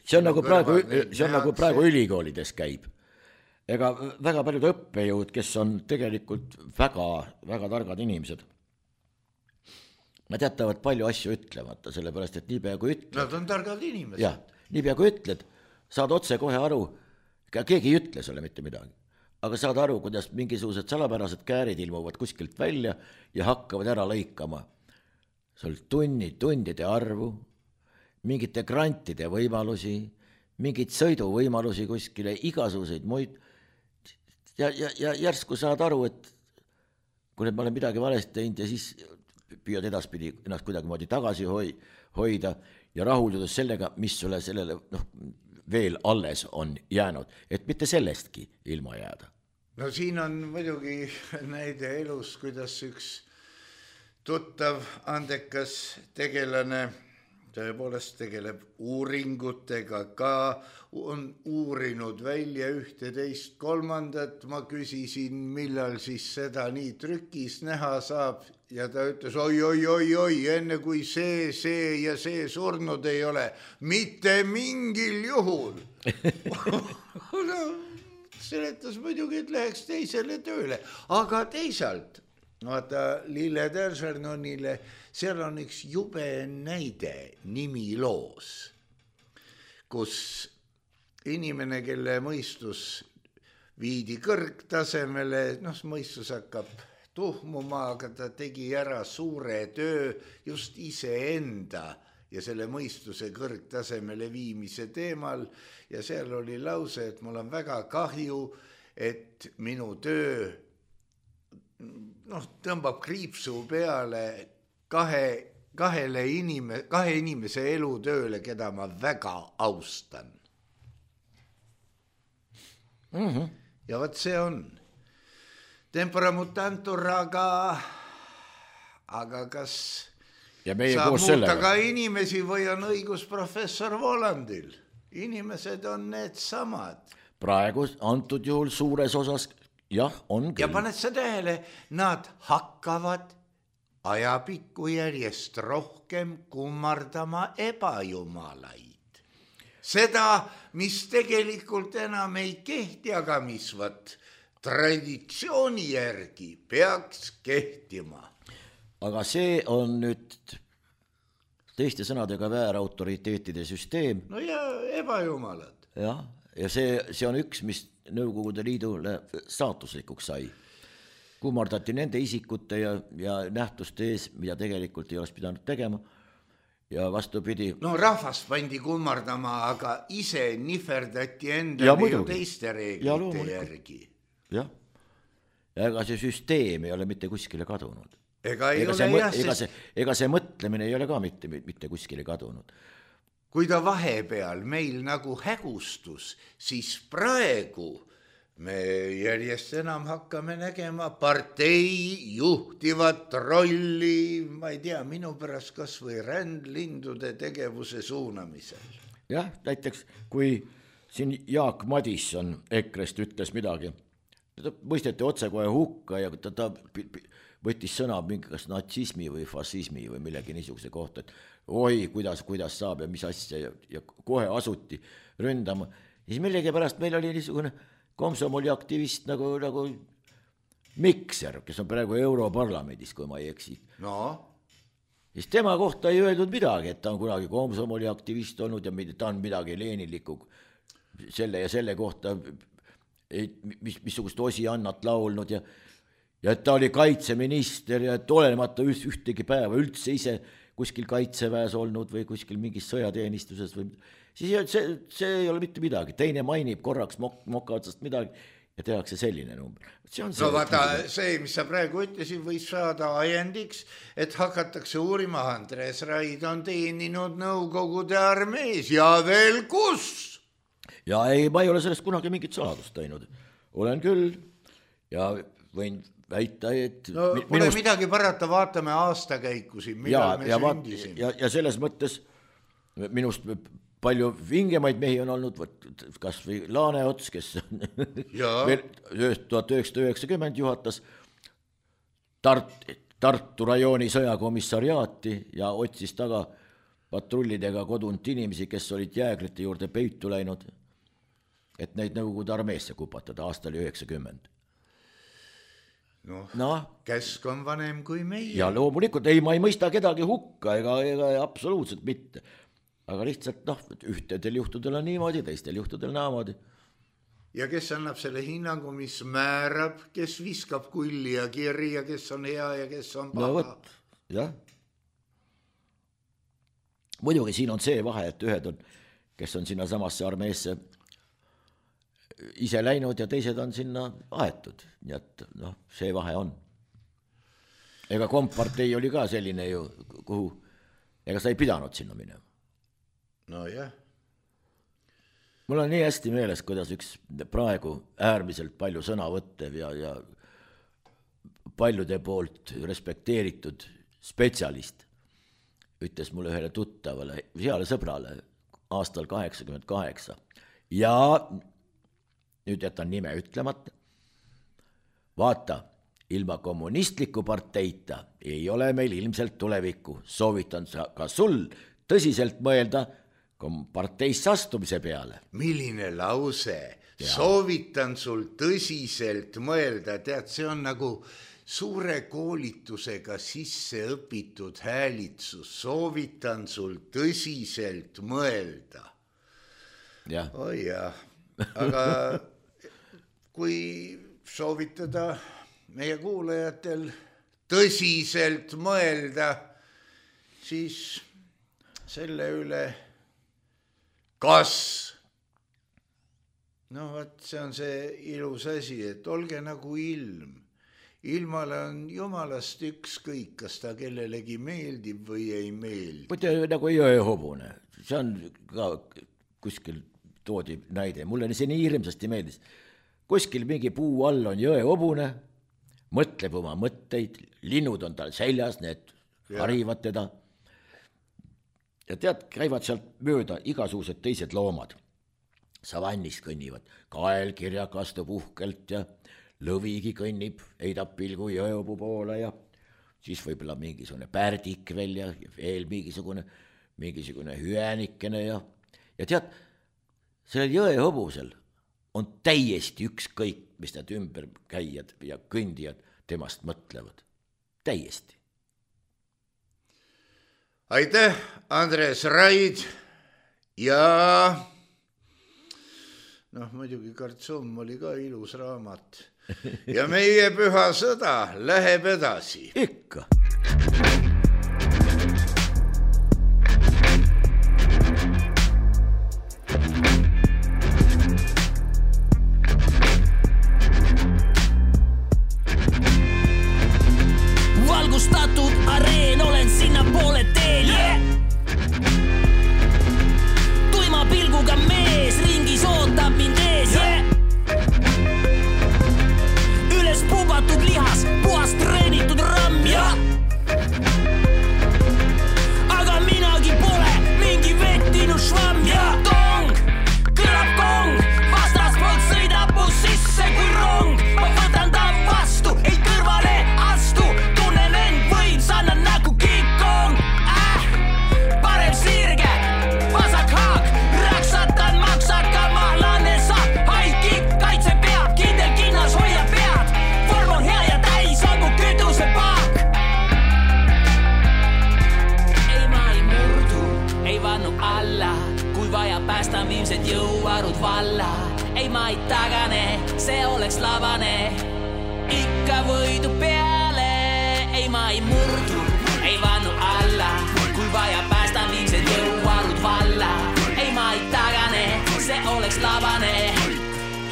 see on, nagu praegu, see on nagu praegu ülikoolides käib. Ega väga paljud õppejõud, kes on tegelikult väga, väga targad inimesed, nad jätavad palju asju ütlemata, sellepärast, et nii pea kui ütled. Nad on targad inimesed. Jah, nii pea kui ütled, saad otse kohe aru, keegi ei ütle sulle mitte midagi. Aga saad aru, kuidas mingisugused salapärased käärid ilmuvad kuskilt välja ja hakkavad ära lõikama sul tunni, tundide arvu, mingite grantide võimalusi, mingid sõiduvõimalusi kuskile, igasuguseid muid. Ja, ja, ja järsku saad aru, et kui ma olen midagi valesti teinud ja siis püüad edaspidi ennast kuidagi moodi tagasi hoi, hoida ja rahuldudes sellega, mis sulle sellele noh, veel alles on jäänud, et mitte sellestki ilma jääda. No siin on muidugi näide elus, kuidas üks tuttav andekas tegelane tõepoolest tegeleb uuringutega ka, on uurinud välja ühte teist kolmandat, ma küsisin, millal siis seda nii trükis näha saab ja ta ütles, oi, oi, oi, oi, enne kui see, see ja see surnud ei ole, mitte mingil juhul. No, seletas muidugi, et läheks teisele tööle, aga teisalt, vaata Lille Teršernonile, seal on üks jube näide nimi loos, kus inimene, kelle mõistus viidi kõrgtasemele, noh, mõistus hakkab tuhmuma, aga ta tegi ära suure töö just iseenda ja selle mõistuse kõrgtasemele viimise teemal ja seal oli lause, et mul on väga kahju, et minu töö noh, tõmbab kriipsu peale kahe, kahele inime, kahe inimese elutööle, keda ma väga austan. Mm-hmm. Ja võt see on. Tempora mutantur, aga, aga kas ja meie saab koos muuta sellega ka inimesi või on õigus professor Volandil? Inimesed on need samad. Praegu antud juhul suures osas jah, on küll. Ja paned sa tähele, nad hakkavad ajapikku järjest rohkem kummardama ebajumalaid. Seda, mis tegelikult enam ei kehti, aga mis võt traditsiooni järgi peaks kehtima. Aga see on nüüd teiste sõnadega väärautoriteetide süsteem. No ja ebajumalad. Ja, ja see, see on üks, mis Nõukogude Liidule saatuslikuks sai. Kummardati nende isikute ja, ja nähtuste ees, mida tegelikult ei oleks pidanud tegema. Ja vastupidi. No rahvast pandi kummardama, aga ise niferdati endale ju teiste reeglite järgi. Jah, ja ega see süsteem ei ole mitte kuskile kadunud. Ega, ei ega, ole see, jah, ega, sest... see, ega see mõtlemine ei ole ka mitte, mitte kuskile kadunud. Kui ta vahepeal meil nagu hägustus, siis praegu me järjest enam hakkame nägema partei juhtivat rolli, ma ei tea, minu pärast kas või rändlindude tegevuse suunamisel. Jah, näiteks kui siin Jaak Madisson Ekrest ütles midagi, ta mõisteti otse kohe hukka ja ta, ta võttis sõna mingi kas natsismi või fašismi või millegi niisuguse kohta, et oi, kuidas, kuidas saab ja mis asja ja, ja kohe asuti ründama. Ja siis millegi pärast meil oli niisugune komsomoli aktivist nagu, nagu Mikser, kes on praegu Europarlamendis, kui ma ei eksi. No. Siis tema kohta ei öeldud midagi, et ta on kunagi komsomoli aktivist olnud ja ta on midagi leeniliku selle ja selle kohta mis, missugust osi annat laulnud ja, ja et ta oli kaitseminister ja et olemata ühtegi päeva üldse ise kuskil kaitseväes olnud või kuskil mingis sõjateenistuses või siis see, see ei ole mitte midagi, teine mainib korraks mok, moka otsast midagi ja tehakse selline number. See on see, no vaata, see, mis sa praegu ütlesid, võis saada ajendiks, et hakatakse uurima, Andres Raid on teeninud Nõukogude armees ja veel kus? Ja ei, ma ei ole sellest kunagi mingit saladust teinud. Olen küll ja võin väita, et... No pole minust... midagi parata, vaatame aastakäikusi, millal me sündisime. Ja, ja selles mõttes minust... palju vingemaid mehi on olnud, kas või Laaneots, kes veel tuhat üheksasada üheksakümmend juhatas Tart, Tartu rajooni sõjakomissariaati ja otsis taga patrullidega kodunt inimesi, kes olid jäägrite juurde peitu läinud, et neid Nõukogude armeesse kupatada aastal üheksakümmend. Noh, no, käsk on vanem kui meie. Ja loomulikult, ei, ma ei mõista kedagi hukka, ega, ega absoluutselt mitte. Aga lihtsalt, noh, ühtedel juhtudel on niimoodi, teistel juhtudel naamodi. Ja kes annab selle hinnangu, mis määrab, kes viskab kulli ja kirja, kes on hea ja kes on paha? No võt, jah. Muidugi siin on see vahe, et ühed on, kes on sinna samasse armeesse ise läinud ja teised on sinna aetud. Nii et, noh, see vahe on. Ega kompartei oli ka selline ju, kuhu, ega sa ei pidanud sinna minema. No jah. Mul on nii hästi meeles, kuidas üks praegu äärmiselt palju sõnavõttev ja, ja paljude poolt respekteeritud spetsialist ütles mulle ühele tuttavale, heale sõbrale aastal kaheksakümmend kaheksa ja nüüd jätan nime ütlemata. Vaata, ilma kommunistliku parteita ei ole meil ilmselt tulevikku. Soovitan ka sul tõsiselt mõelda parteisse astumise peale. Milline lause? Ja. Soovitan sul tõsiselt mõelda. Tead, see on nagu suure koolitusega sisse õpitud häälitsus. Soovitan sul tõsiselt mõelda. Ja. Oi jah, aga kui soovitada meie kuulajatel tõsiselt mõelda, siis selle üle kas, no võt, see on see ilus asi, et olge nagu ilm. Ilmale on jumalast ükskõik, kas ta kellelegi meeldib või ei meeldi. Võte nagu jõehobune, see on ka kuskil toodi näide, mulle see nii hirmsasti meeldis. Kuskil mingi puu all on jõehobune, mõtleb oma mõtteid, linnud on tal seljas, need ja. Harivad teda. Ja tead, käivad sealt mööda igasugused teised loomad. Savannis kõnnivad, kael kirjak astub uhkelt ja lõvigi kõnnib, heidab pilgu jõehobu poole ja siis võib-olla mingisugune pärdik veel ja veel mingisugune, mingisugune hüänikene ja, ja tead, sellel jõehobusel on täiesti ükskõik, mis need ümber käijad ja kõndijad temast mõtlevad. Täiesti. Aitäh, Andres Raid ja noh, muidugi Kartsoom oli ka ilus raamat ja meie püha sõda läheb edasi. Ikka. Valgustatud areen, olen sinna poole teel yeah! Tuima pilguga mees ringis ootab mind ees yeah! Üles pubatud lihas, puhast treenitud ramm ja alla, kui vaja päästan viimsed jõuarud valla. Ei ma ei tagane, see oleks labane, ikka võidu peale. Ei ma ei murdu, ei vannu alla, kui vaja päästan viimsed jõuarud valla. Ei ma ei tagane, see oleks labane,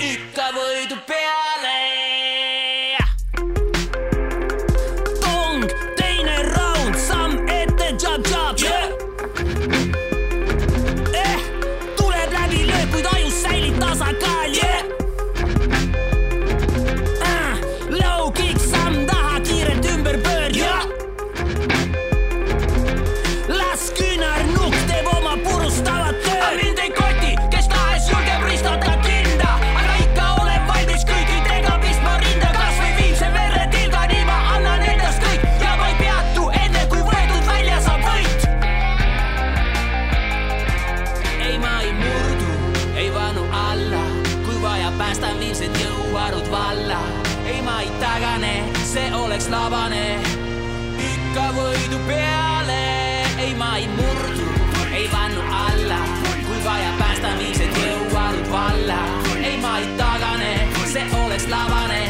ikka võidu peale. Tong, teine round, samm ette, jab, jab, yeah. Eh, tuleb läbi lööb, kuid ajus säilib tasakaal, yeah. uh, Low kick, samm taha, kiirelt ümber pöörd, yeah. Las küünarnukk teeb oma purustavat tööd. Aga mind ei koti, kes tahes julgeb ristada kinda, aga ikka olen valmis kõikidega pistma rinda. Kas või viimse verre tilga, nii ma annan endast kõik ja ma ei peatu enne, kui võetud välja saab võit. Ei ma ei murdu, ei vanu alla, kui vaja päästan viimsed jõuarud valla. Ei ma ei tagane, see oleks labane, ikka võidu peale. Ei ma ei murdu, ei vannu alla, kui vaja päästan viimsed jõuarud valla. Ei ma ei tagane, see oleks labane,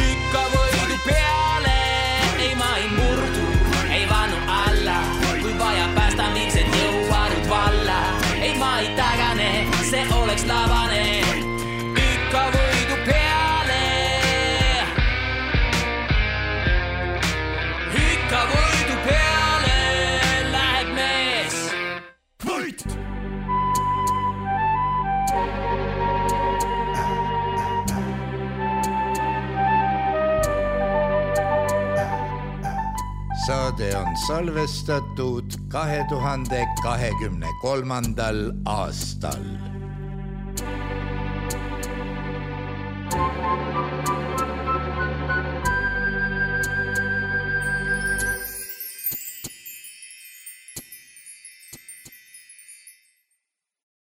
ikka võidu peale. Ei ma ei murdu, ei vannu alla, kui vaja päästan viimsed jõuarud valla. Ei ma ei tagane, see oleks labane, ikka võidu peale. Ikka võidu peale läheb mees. Võit! Saade on salvestatud kahe tuhande kahekümne kolmandal aastal.